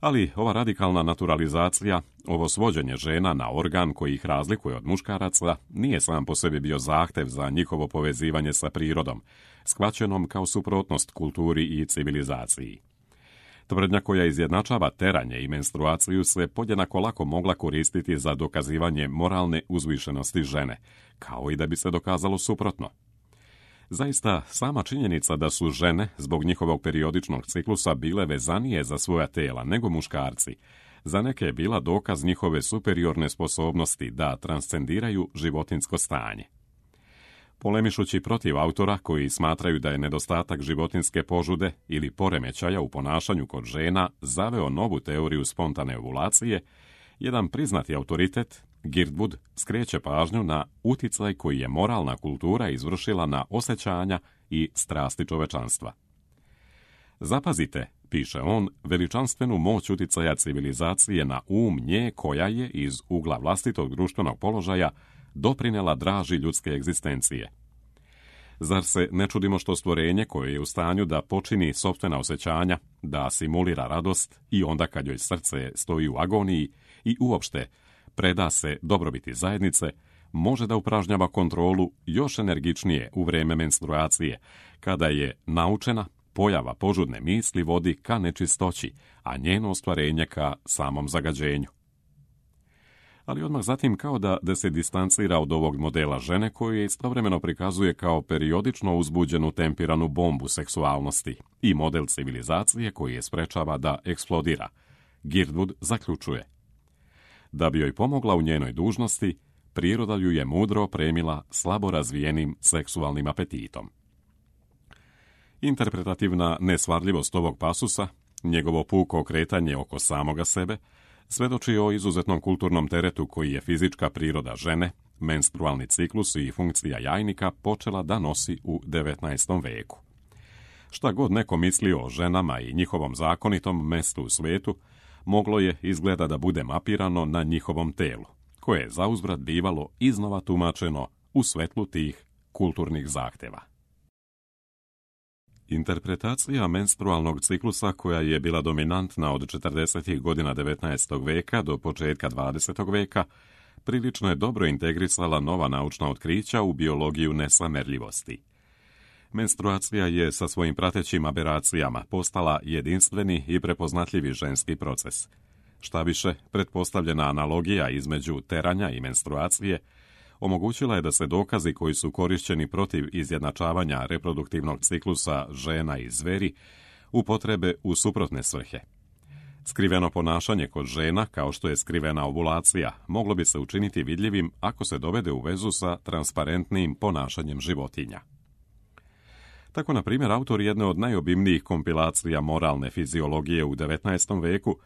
Ali ova radikalna naturalizacija, ovo svođenje žena na organ koji ih razlikuje od muškaraca, nije sam po sebi bio zahtev za njihovo povezivanje sa prirodom, shvaćenom kao suprotnost kulturi i civilizaciji. Tvrdnja koja izjednačava teranje i menstruaciju se podjednako lako mogla koristiti za dokazivanje moralne uzvišenosti žene, kao i da bi se dokazalo suprotno. Zaista, sama činjenica da su žene, zbog njihovog periodičnog ciklusa, bile vezanije za svoja tela nego muškarci, za neke je bila dokaz njihove superiorne sposobnosti da transcendiraju životinjsko stanje. Polemišući protiv autora koji smatraju da je nedostatak životinjske požude ili poremećaja u ponašanju kod žena zaveo novu teoriju spontane ovulacije, jedan priznati autoritet, Geert Wood, skreće pažnju na uticaj koji je moralna kultura izvršila na osjećanja i strasti čovečanstva. Zapazite, piše on, veličanstvenu moć uticaja civilizacije na um nje koja je iz ugla vlastitog društvenog položaja doprinela draži ljudske egzistencije. Zar se ne čudimo što stvorenje koje je u stanju da počini sopstvena osjećanja, da simulira radost i onda kad joj srce stoji u agoniji i uopšte preda se dobrobiti zajednice, može da upražnjava kontrolu još energičnije u vrijeme menstruacije, kada je naučena pojava požudne misli vodi ka nečistoći, a njeno ostvarenje ka samom zagađenju. ali odmah zatim kao da, da se distancira od ovog modela žene koju je istovremeno prikazuje kao periodično uzbuđenu tempiranu bombu seksualnosti i model civilizacije koji je sprečava da eksplodira. Girdwood zaključuje: da bi joj pomogla u njenoj dužnosti, priroda ju je mudro opremila slabo razvijenim seksualnim apetitom. Interpretativna nesvarljivost ovog pasusa, njegovo puko okretanje oko samoga sebe, svedoči o izuzetnom kulturnom teretu koji je fizička priroda žene, menstrualni ciklus i funkcija jajnika počela da nosi u devetnaestom veku. Šta god neko mislio o ženama i njihovom zakonitom mestu u svijetu, moglo je izgleda da bude mapirano na njihovom telu, koje je zauzvrat bivalo iznova tumačeno u svetlu tih kulturnih zahtjeva. Interpretacija menstrualnog ciklusa, koja je bila dominantna od četrdesetih godina devetnaestog veka do početka dvadesetog veka, prilično je dobro integrisala nova naučna otkrića u biologiju nesamerljivosti. Menstruacija je sa svojim pratećim aberacijama postala jedinstveni i prepoznatljivi ženski proces. Šta više, pretpostavljena analogija između teranja i menstruacije omogućila je da se dokazi koji su korišćeni protiv izjednačavanja reproduktivnog ciklusa žena i zveri upotrebe u suprotne svrhe. Skriveno ponašanje kod žena, kao što je skrivena ovulacija, moglo bi se učiniti vidljivim ako se dovede u vezu sa transparentnim ponašanjem životinja. Tako, na primjer, autor jedne od najobimnijih kompilacija moralne fiziologije u devetnaestom veku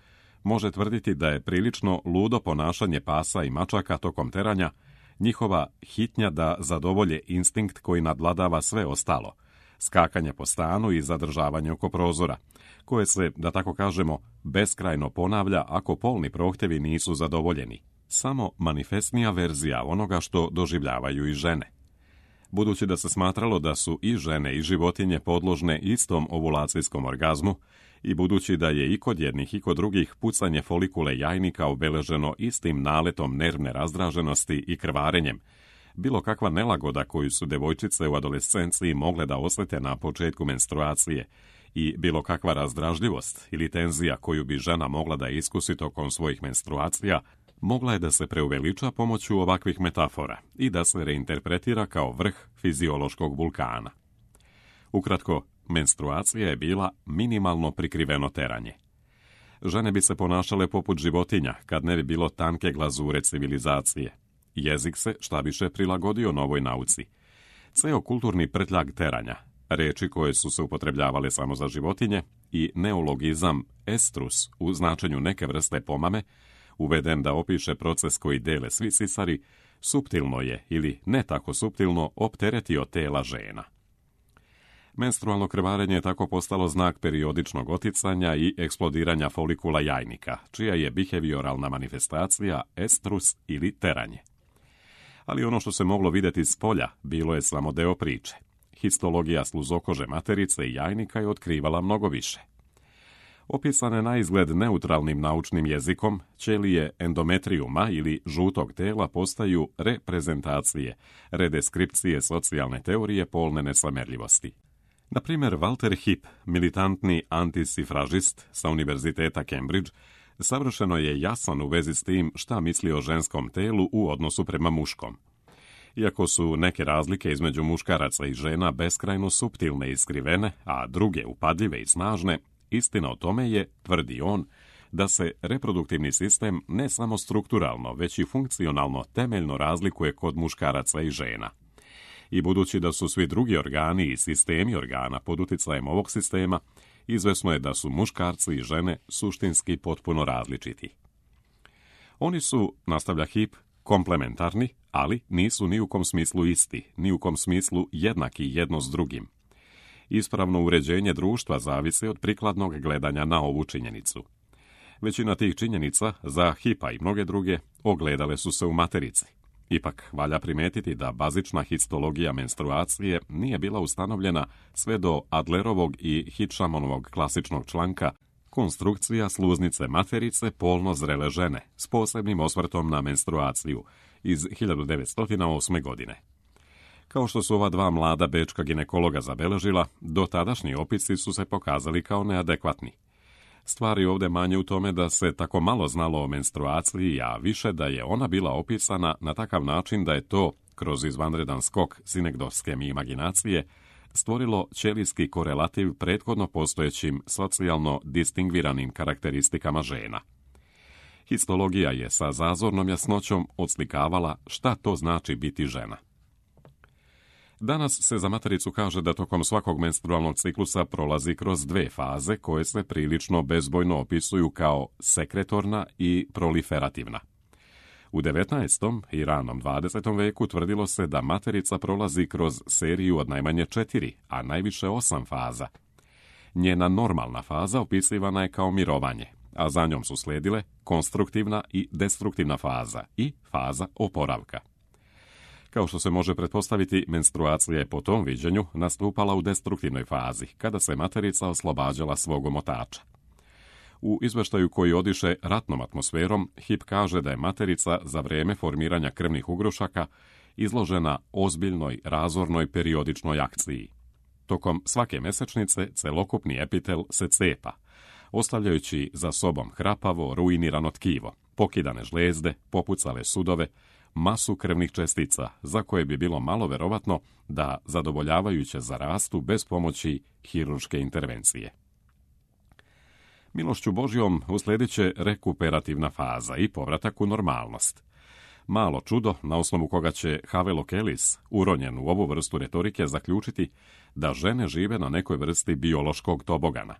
može tvrditi da je prilično ludo ponašanje pasa i mačaka tokom teranja njihova hitnja da zadovolje instinkt koji nadvladava sve ostalo, skakanje po stanu i zadržavanje oko prozora, koje se, da tako kažemo, beskrajno ponavlja ako polni prohtjevi nisu zadovoljeni, samo manifestnija verzija onoga što doživljavaju i žene. Budući da se smatralo da su i žene i životinje podložne istom ovulacijskom orgazmu, i budući da je i kod jednih i kod drugih pucanje folikule jajnika obeleženo istim naletom nervne razdraženosti i krvarenjem, bilo kakva nelagoda koju su devojčice u adolescenciji mogle da osjete na početku menstruacije i bilo kakva razdražljivost ili tenzija koju bi žena mogla da iskusi tokom svojih menstruacija, mogla je da se preuveliča pomoću ovakvih metafora i da se reinterpretira kao vrh fiziološkog vulkana. Ukratko, menstruacija je bila minimalno prikriveno teranje. Žene bi se ponašale poput životinja kad ne bi bilo tanke glazure civilizacije. Jezik se šta više prilagodio novoj nauci. Ceo kulturni prtljag teranja, reči koje su se upotrebljavale samo za životinje, i neologizam estrus u značenju neke vrste pomame, uveden da opiše proces koji dele svi sisari, suptilno je ili ne tako suptilno opteretio tela žena. Menstrualno krvarenje je tako postalo znak periodičnog oticanja i eksplodiranja folikula jajnika, čija je behavioralna manifestacija estrus ili teranje. Ali ono što se moglo vidjeti s polja bilo je samo deo priče. Histologija sluzokože materice i jajnika je otkrivala mnogo više. Opisane na izgled neutralnim naučnim jezikom, ćelije endometrijuma ili žutog tela postaju reprezentacije, redeskripcije socijalne teorije polne nesamerljivosti. Na primjer, Walter Hipp, militantni antisifražist sa Univerziteta Cambridge, savršeno je jasan u vezi s tim šta misli o ženskom telu u odnosu prema muškom. Iako su neke razlike između muškaraca i žena beskrajno suptilne i skrivene, a druge upadljive i snažne, istina o tome je, tvrdi on, da se reproduktivni sistem ne samo strukturalno, već i funkcionalno temeljno razlikuje kod muškaraca i žena. I budući da su svi drugi organi i sistemi organa pod utjecajem ovog sistema, izvesno je da su muškarci i žene suštinski potpuno različiti. Oni su, nastavlja Hipp, komplementarni, ali nisu ni u kom smislu isti, ni u kom smislu jednaki jedno s drugim. Ispravno uređenje društva zavisi od prikladnog gledanja na ovu činjenicu. Većina tih činjenica, za Hippa i mnoge druge, ogledale su se u materici. Ipak, valja primetiti da bazična histologija menstruacije nije bila ustanovljena sve do Adlerovog i Hitchamanovog klasičnog članka Konstrukcija sluznice materice polno zrele žene s posebnim osvrtom na menstruaciju iz hiljadu devetsto osme. godine. Kao što su ova dva mlada bečka ginekologa zabeležila, dotadašnji opisi su se pokazali kao neadekvatni. Stvari ovdje manje u tome da se tako malo znalo o menstruaciji, a više da je ona bila opisana na takav način da je to, kroz izvanredan skok sinekdoske imaginacije, stvorilo ćelijski korelativ prethodno postojećim socijalno distingviranim karakteristikama žena. Histologija je sa zazornom jasnoćom odslikavala šta to znači biti žena. Danas se za matericu kaže da tokom svakog menstrualnog ciklusa prolazi kroz dve faze koje se prilično bezbojno opisuju kao sekretorna i proliferativna. U devetnaestom i ranom dvadesetom veku tvrdilo se da materica prolazi kroz seriju od najmanje četiri, a najviše osam faza. Njena normalna faza opisivana je kao mirovanje, a za njom su slijedile konstruktivna i destruktivna faza i faza oporavka. Kao što se može pretpostaviti, menstruacija je po tom viđenju nastupala u destruktivnoj fazi, kada se materica oslobađala svog omotača. U izveštaju koji odiše ratnom atmosferom, Hip kaže da je materica za vrijeme formiranja krvnih ugrušaka izložena ozbiljnoj razornoj periodičnoj akciji. Tokom svake mesečnice celokupni epitel se cepa, ostavljajući za sobom hrapavo, ruinirano tkivo, pokidane žlijezde, popucale sudove, masu krvnih čestica za koje bi bilo malo verovatno da zadovoljavajuće zarastu bez pomoći hirurške intervencije. Milošću Božjom uslijedit će rekuperativna faza i povratak u normalnost. Malo čudo na osnovu koga će Havelock Ellis, uronjen u ovu vrstu retorike, zaključiti da žene žive na nekoj vrsti biološkog tobogana.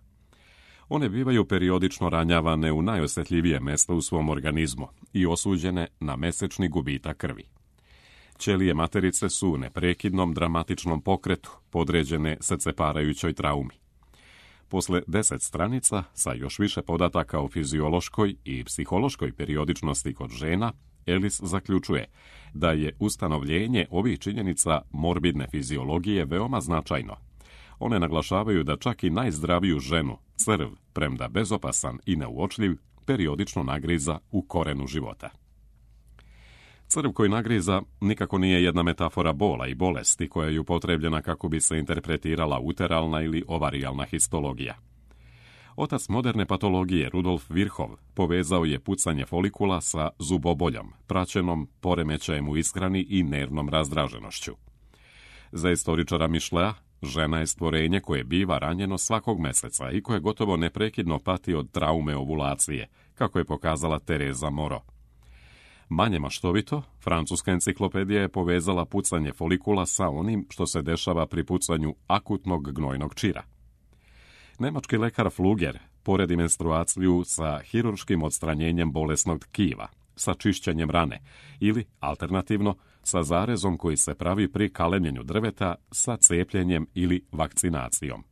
One bivaju periodično ranjavane u najosjetljivije mjesto u svom organizmu i osuđene na mesečni gubitak krvi. Ćelije materice su u neprekidnom dramatičnom pokretu, podređene srceparajućoj traumi. Posle deset stranica, sa još više podataka o fiziološkoj i psihološkoj periodičnosti kod žena, Ellis zaključuje da je ustanovljenje ovih činjenica morbidne fiziologije veoma značajno. One naglašavaju da čak i najzdraviju ženu, crv, premda bezopasan i neuočljiv, periodično nagriza u korenu života. Crv koji nagriza nikako nije jedna metafora bola i bolesti koja je upotrebljena kako bi se interpretirala uteralna ili ovarijalna histologija. Otac moderne patologije Rudolf Virchow povezao je pucanje folikula sa zuboboljom, praćenom poremećajem u ishrani i nervnom razdraženošću. Za istoričara Mišlea, žena je stvorenje koje biva ranjeno svakog meseca i koje gotovo neprekidno pati od traume ovulacije, kako je pokazala Tereza Moro. Manje maštovito, francuska enciklopedija je povezala pucanje folikula sa onim što se dešava pri pucanju akutnog gnojnog čira. Nemački lekar Fluger poredi menstruaciju sa hirurškim odstranjenjem bolesnog tkiva, sa čišćenjem rane ili, alternativno, sa zarezom koji se pravi pri kalemljenju drveta sa cepljenjem ili vakcinacijom.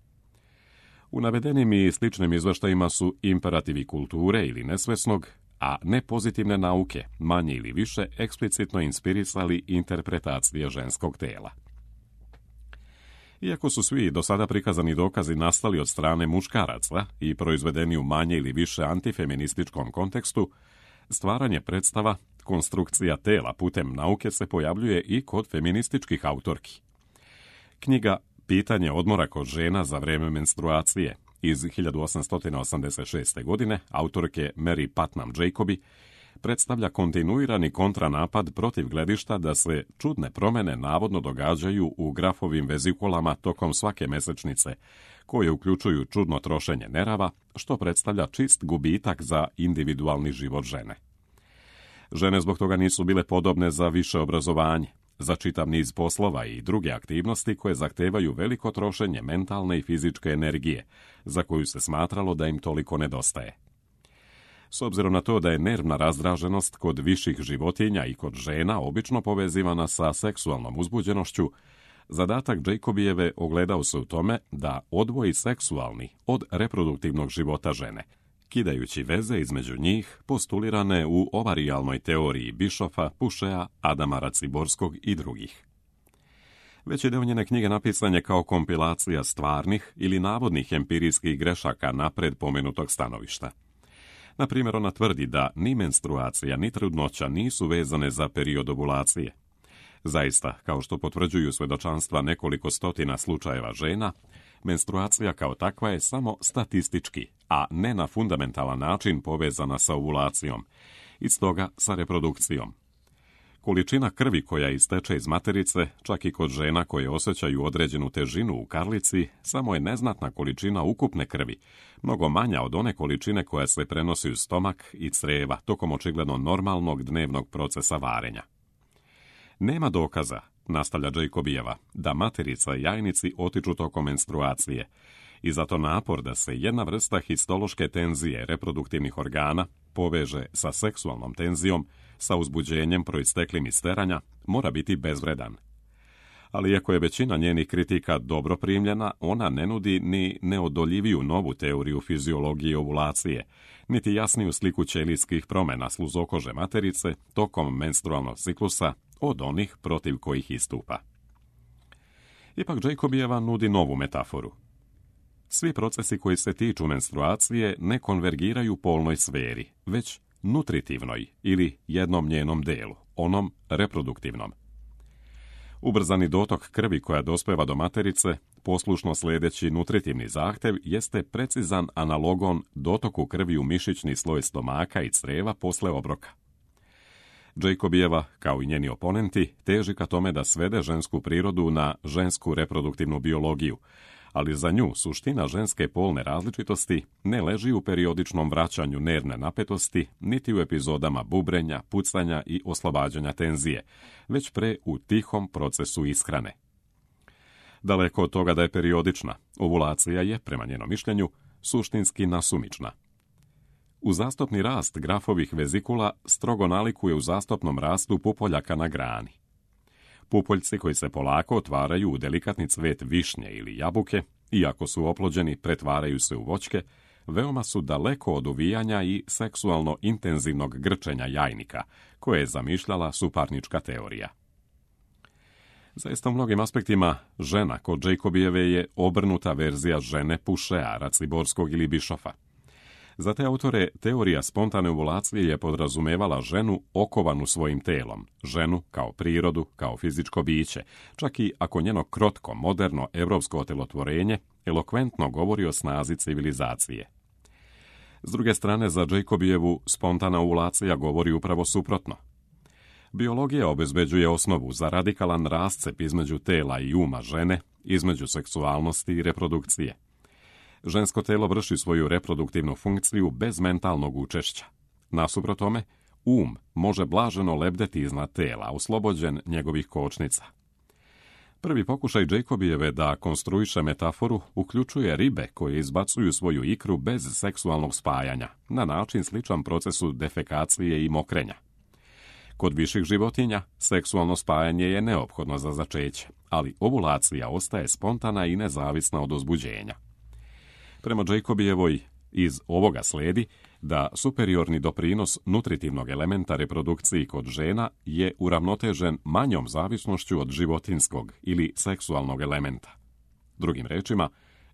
U navedenim i sličnim izveštajima su imperativi kulture ili nesvesnog, a ne pozitivne nauke, manje ili više eksplicitno inspirisali interpretacije ženskog tela. Iako su svi do sada prikazani dokazi nastali od strane muškaraca i proizvedeni u manje ili više antifeminističkom kontekstu, stvaranje predstava, konstrukcija tela putem nauke se pojavljuje i kod feminističkih autorki. Knjiga Pitanje odmora kod žena za vrijeme menstruacije iz hiljadu osamsto osamdeset šeste. godine autorke Mary Putnam Jacobi predstavlja kontinuirani kontranapad protiv gledišta da se čudne promjene navodno događaju u grafovim vezikulama tokom svake mesečnice, koje uključuju čudno trošenje nerava, što predstavlja čist gubitak za individualni život žene. Žene zbog toga nisu bile podobne za više obrazovanje, za čitav niz poslova i druge aktivnosti koje zahtevaju veliko trošenje mentalne i fizičke energije, za koju se smatralo da im toliko nedostaje. S obzirom na to da je nervna razdraženost kod viših životinja i kod žena obično povezivana sa seksualnom uzbuđenošću, zadatak Jacobijeve ogledao se u tome da odvoji seksualni od reproduktivnog života žene, kidajući veze između njih postulirane u ovarijalnoj teoriji Bischofa, Pušea, Adama Raciborskog i drugih. Veći deo njene knjige napisan je kao kompilacija stvarnih ili navodnih empirijskih grešaka napred pomenutog stanovišta. Na primjer, ona tvrdi da ni menstruacija ni trudnoća nisu vezane za period ovulacije. Zaista, kao što potvrđuju svedočanstva nekoliko stotina slučajeva žena, menstruacija kao takva je samo statistički, a ne na fundamentalan način povezana sa ovulacijom, i stoga sa reprodukcijom. Količina krvi koja isteče iz materice, čak i kod žena koje osjećaju određenu težinu u karlici, samo je neznatna količina ukupne krvi, mnogo manja od one količine koja se prenosi u stomak i creva tokom očigledno normalnog dnevnog procesa varenja. Nema dokaza, nastavlja Jacobijeva, da materica i jajnici otiču tokom menstruacije, i zato napor da se jedna vrsta histološke tenzije reproduktivnih organa poveže sa seksualnom tenzijom, sa uzbuđenjem proisteklim iz steranja, mora biti bezvredan. Ali iako je većina njenih kritika dobro primljena, ona ne nudi ni neodoljiviju novu teoriju fiziologije ovulacije, niti jasniju sliku ćelijskih promjena sluzokože materice tokom menstrualnog ciklusa od onih protiv kojih istupa. Ipak Jacobijeva nudi novu metaforu. Svi procesi koji se tiču menstruacije ne konvergiraju polnoj sferi, već nutritivnoj ili jednom njenom delu, onom reproduktivnom. Ubrzani dotok krvi koja dospeva do materice, poslušno sljedeći nutritivni zahtjev, jeste precizan analogon dotoku krvi u mišićni sloj stomaka i creva posle obroka. Jacobijeva, kao i njeni oponenti, teži ka tome da svede žensku prirodu na žensku reproduktivnu biologiju, ali za nju suština ženske polne različitosti ne leži u periodičnom vraćanju nervne napetosti, niti u epizodama bubrenja, pucanja i oslobađanja tenzije, već pre u tihom procesu ishrane. Daleko od toga da je periodična, ovulacija je, prema njenom mišljenju, suštinski nasumična. Uzastopni rast grafovih vezikula strogo nalikuje u zastopnom rastu pupoljaka na grani. Pupoljci koji se polako otvaraju u delikatni cvet višnje ili jabuke, iako su oplođeni, pretvaraju se u voćke, veoma su daleko od uvijanja i seksualno intenzivnog grčenja jajnika, koje je zamišljala suparnička teorija. Zaista u mnogim aspektima, žena kod Jacobijeve je obrnuta verzija žene Pušea, Raciborskog ili Bišofa. Za te autore, teorija spontane ovulacije je podrazumevala ženu okovanu svojim telom, ženu kao prirodu, kao fizičko biće, čak i ako njeno krotko, moderno, evropsko otelotvorenje elokventno govori o snazi civilizacije. S druge strane, za Jacobijevu spontana ovulacija govori upravo suprotno. Biologija obezbeđuje osnovu za radikalan rascep između tela i uma žene, između seksualnosti i reprodukcije. Žensko telo vrši svoju reproduktivnu funkciju bez mentalnog učešća. Nasuprot tome, um može blaženo lebdeti iznad tela, oslobođen njegovih kočnica. Prvi pokušaj Jacobijeve da konstruiše metaforu uključuje ribe koje izbacuju svoju ikru bez seksualnog spajanja, na način sličan procesu defekacije i mokrenja. Kod viših životinja, seksualno spajanje je neophodno za začeće, ali ovulacija ostaje spontana i nezavisna od uzbuđenja. Prema Jacobijevoj, iz ovoga sledi da superiorni doprinos nutritivnog elementa reprodukciji kod žena je uravnotežen manjom zavisnošću od životinskog ili seksualnog elementa. Drugim rečima,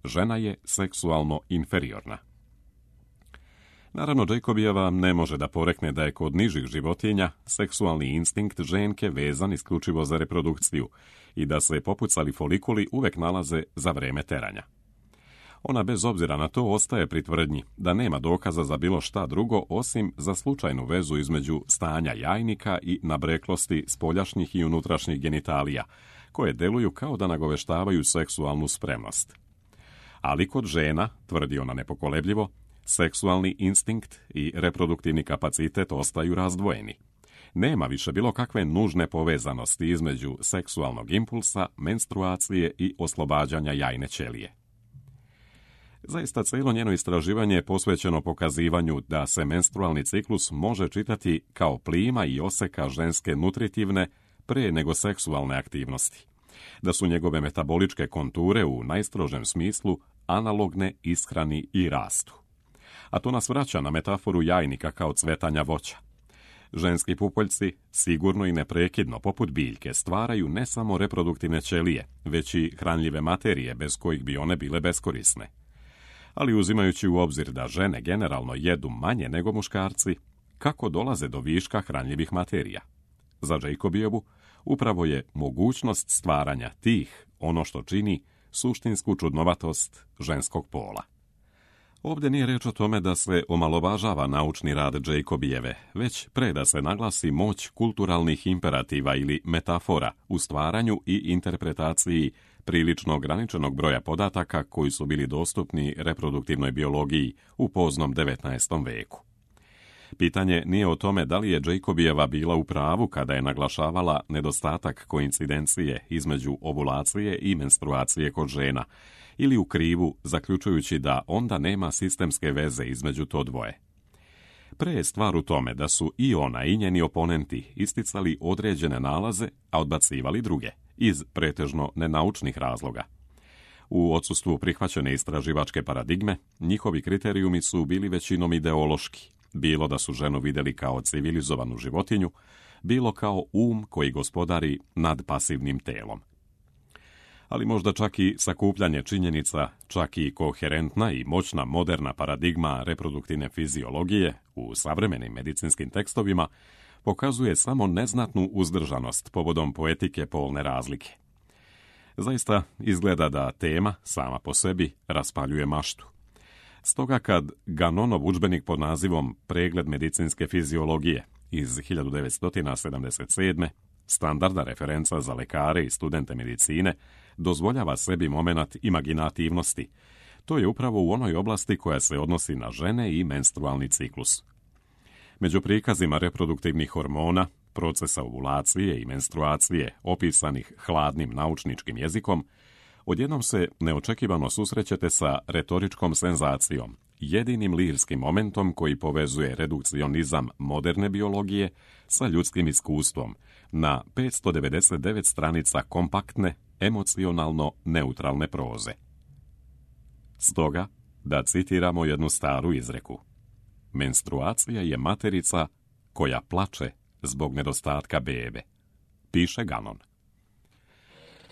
žena je seksualno inferiorna. Naravno, Jacobijeva ne može da porekne da je kod nižih životinja seksualni instinkt ženke vezan isključivo za reprodukciju i da se popucali folikuli uvek nalaze za vreme teranja. Ona bez obzira na to ostaje pri tvrdnji da nema dokaza za bilo šta drugo osim za slučajnu vezu između stanja jajnika i nabreklosti spoljašnjih i unutrašnjih genitalija, koje deluju kao da nagoveštavaju seksualnu spremnost. Ali kod žena, tvrdi ona nepokolebljivo, seksualni instinkt i reproduktivni kapacitet ostaju razdvojeni. Nema više bilo kakve nužne povezanosti između seksualnog impulsa, menstruacije i oslobađanja jajne ćelije. Zaista cijelo njeno istraživanje je posvećeno pokazivanju da se menstrualni ciklus može čitati kao plima i oseka ženske nutritivne pre nego seksualne aktivnosti, da su njegove metaboličke konture u najstrožem smislu analogne ishrani i rastu. A to nas vraća na metaforu jajnika kao cvetanja voća. Ženski pupoljci sigurno i neprekidno, poput biljke, stvaraju ne samo reproduktivne ćelije, već i hranljive materije bez kojih bi one bile beskorisne. Ali uzimajući u obzir da žene generalno jedu manje nego muškarci, kako dolaze do viška hranljivih materija? Za Jacobijevu upravo je mogućnost stvaranja tih ono što čini suštinsku čudnovatost ženskog pola. Ovdje nije reč o tome da se omalovažava naučni rad Jacobijeve, već pre da se naglasi moć kulturalnih imperativa ili metafora u stvaranju i interpretaciji prilično ograničenog broja podataka koji su bili dostupni reproduktivnoj biologiji u poznom devetnaestom veku. Pitanje nije o tome da li je Jacobijeva bila u pravu kada je naglašavala nedostatak koincidencije između ovulacije i menstruacije kod žena, ili u krivu zaključujući da onda nema sistemske veze između to dvoje. Pre je stvar u tome da su i ona i njeni oponenti isticali određene nalaze, a odbacivali druge, iz pretežno nenaučnih razloga. U odsustvu prihvaćene istraživačke paradigme, njihovi kriterijumi su bili većinom ideološki, bilo da su ženu vidjeli kao civilizovanu životinju, bilo kao um koji gospodari nad pasivnim telom. Ali možda čak i sakupljanje činjenica, čak i koherentna i moćna moderna paradigma reproduktivne fiziologije u savremenim medicinskim tekstovima pokazuje samo neznatnu uzdržanost povodom poetike polne razlike. Zaista izgleda da tema sama po sebi raspaljuje maštu. Stoga kad Ganonov udžbenik pod nazivom Pregled medicinske fiziologije iz hiljadu devetsto sedamdeset sedme, standardna referenca za lekare i studente medicine, dozvoljava sebi momenat imaginativnosti, to je upravo u onoj oblasti koja se odnosi na žene i menstrualni ciklus. Među prikazima reproduktivnih hormona, procesa ovulacije i menstruacije opisanih hladnim naučničkim jezikom, odjednom se neočekivano susrećete sa retoričkom senzacijom, jedinim lirskim momentom koji povezuje redukcionizam moderne biologije sa ljudskim iskustvom na petsto devedeset devet stranica kompaktne, emocionalno neutralne proze. Stoga, da citiramo jednu staru izreku: menstruacija je materica koja plače zbog nedostatka bebe, piše Ganon.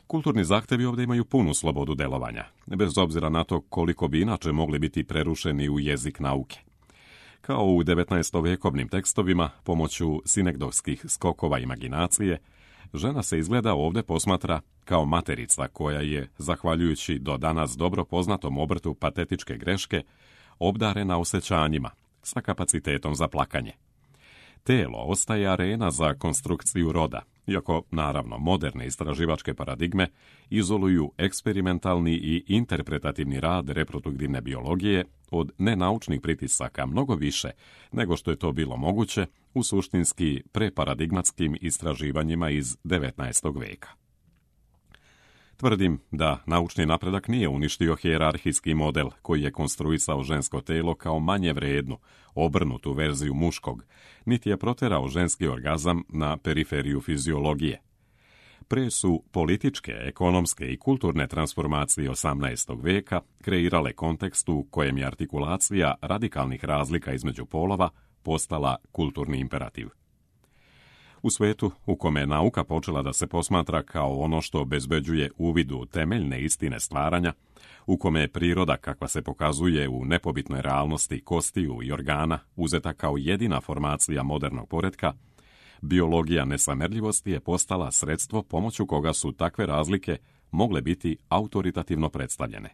Kulturni zahtevi ovdje imaju punu slobodu delovanja, bez obzira na to koliko bi inače mogli biti prerušeni u jezik nauke. Kao u devetnaestovekovnim tekstovima, pomoću sinekdoskih skokova imaginacije, žena se izgleda ovdje posmatra kao materica koja je, zahvaljujući do danas dobro poznatom obrtu patetičke greške, obdarena osjećanjima, sa kapacitetom za plakanje. Telo ostaje arena za konstrukciju roda, iako, naravno, moderne istraživačke paradigme izoluju eksperimentalni i interpretativni rad reproduktivne biologije od nenaučnih pritisaka mnogo više nego što je to bilo moguće u suštinski preparadigmatskim istraživanjima iz devetnaestog veka. Tvrdim da naučni napredak nije uništio hijerarhijski model koji je konstruisao žensko telo kao manje vrednu, obrnutu verziju muškog, niti je proterao ženski orgazam na periferiju fiziologije. Pre su političke, ekonomske i kulturne transformacije osamnaestog veka kreirale kontekst u kojem je artikulacija radikalnih razlika između polova postala kulturni imperativ. U svetu u kome je nauka počela da se posmatra kao ono što obezbeđuje uvid u temeljne istine stvaranja, u kome je priroda kakva se pokazuje u nepobitnoj realnosti kostiju i organa uzeta kao jedina formacija modernog poretka, biologija nesamerljivosti je postala sredstvo pomoću koga su takve razlike mogle biti autoritativno predstavljene.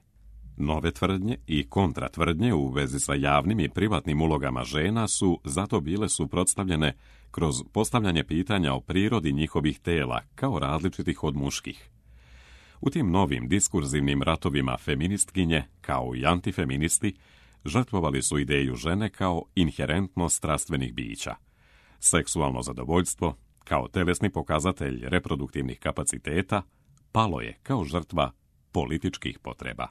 Nove tvrdnje i kontratvrdnje u vezi sa javnim i privatnim ulogama žena su zato bile suprotstavljene kroz postavljanje pitanja o prirodi njihovih tela kao različitih od muških. U tim novim diskurzivnim ratovima feministkinje, kao i antifeministi, žrtvovali su ideju žene kao inherentno strastvenih bića. Seksualno zadovoljstvo, kao telesni pokazatelj reproduktivnih kapaciteta, palo je kao žrtva političkih potreba.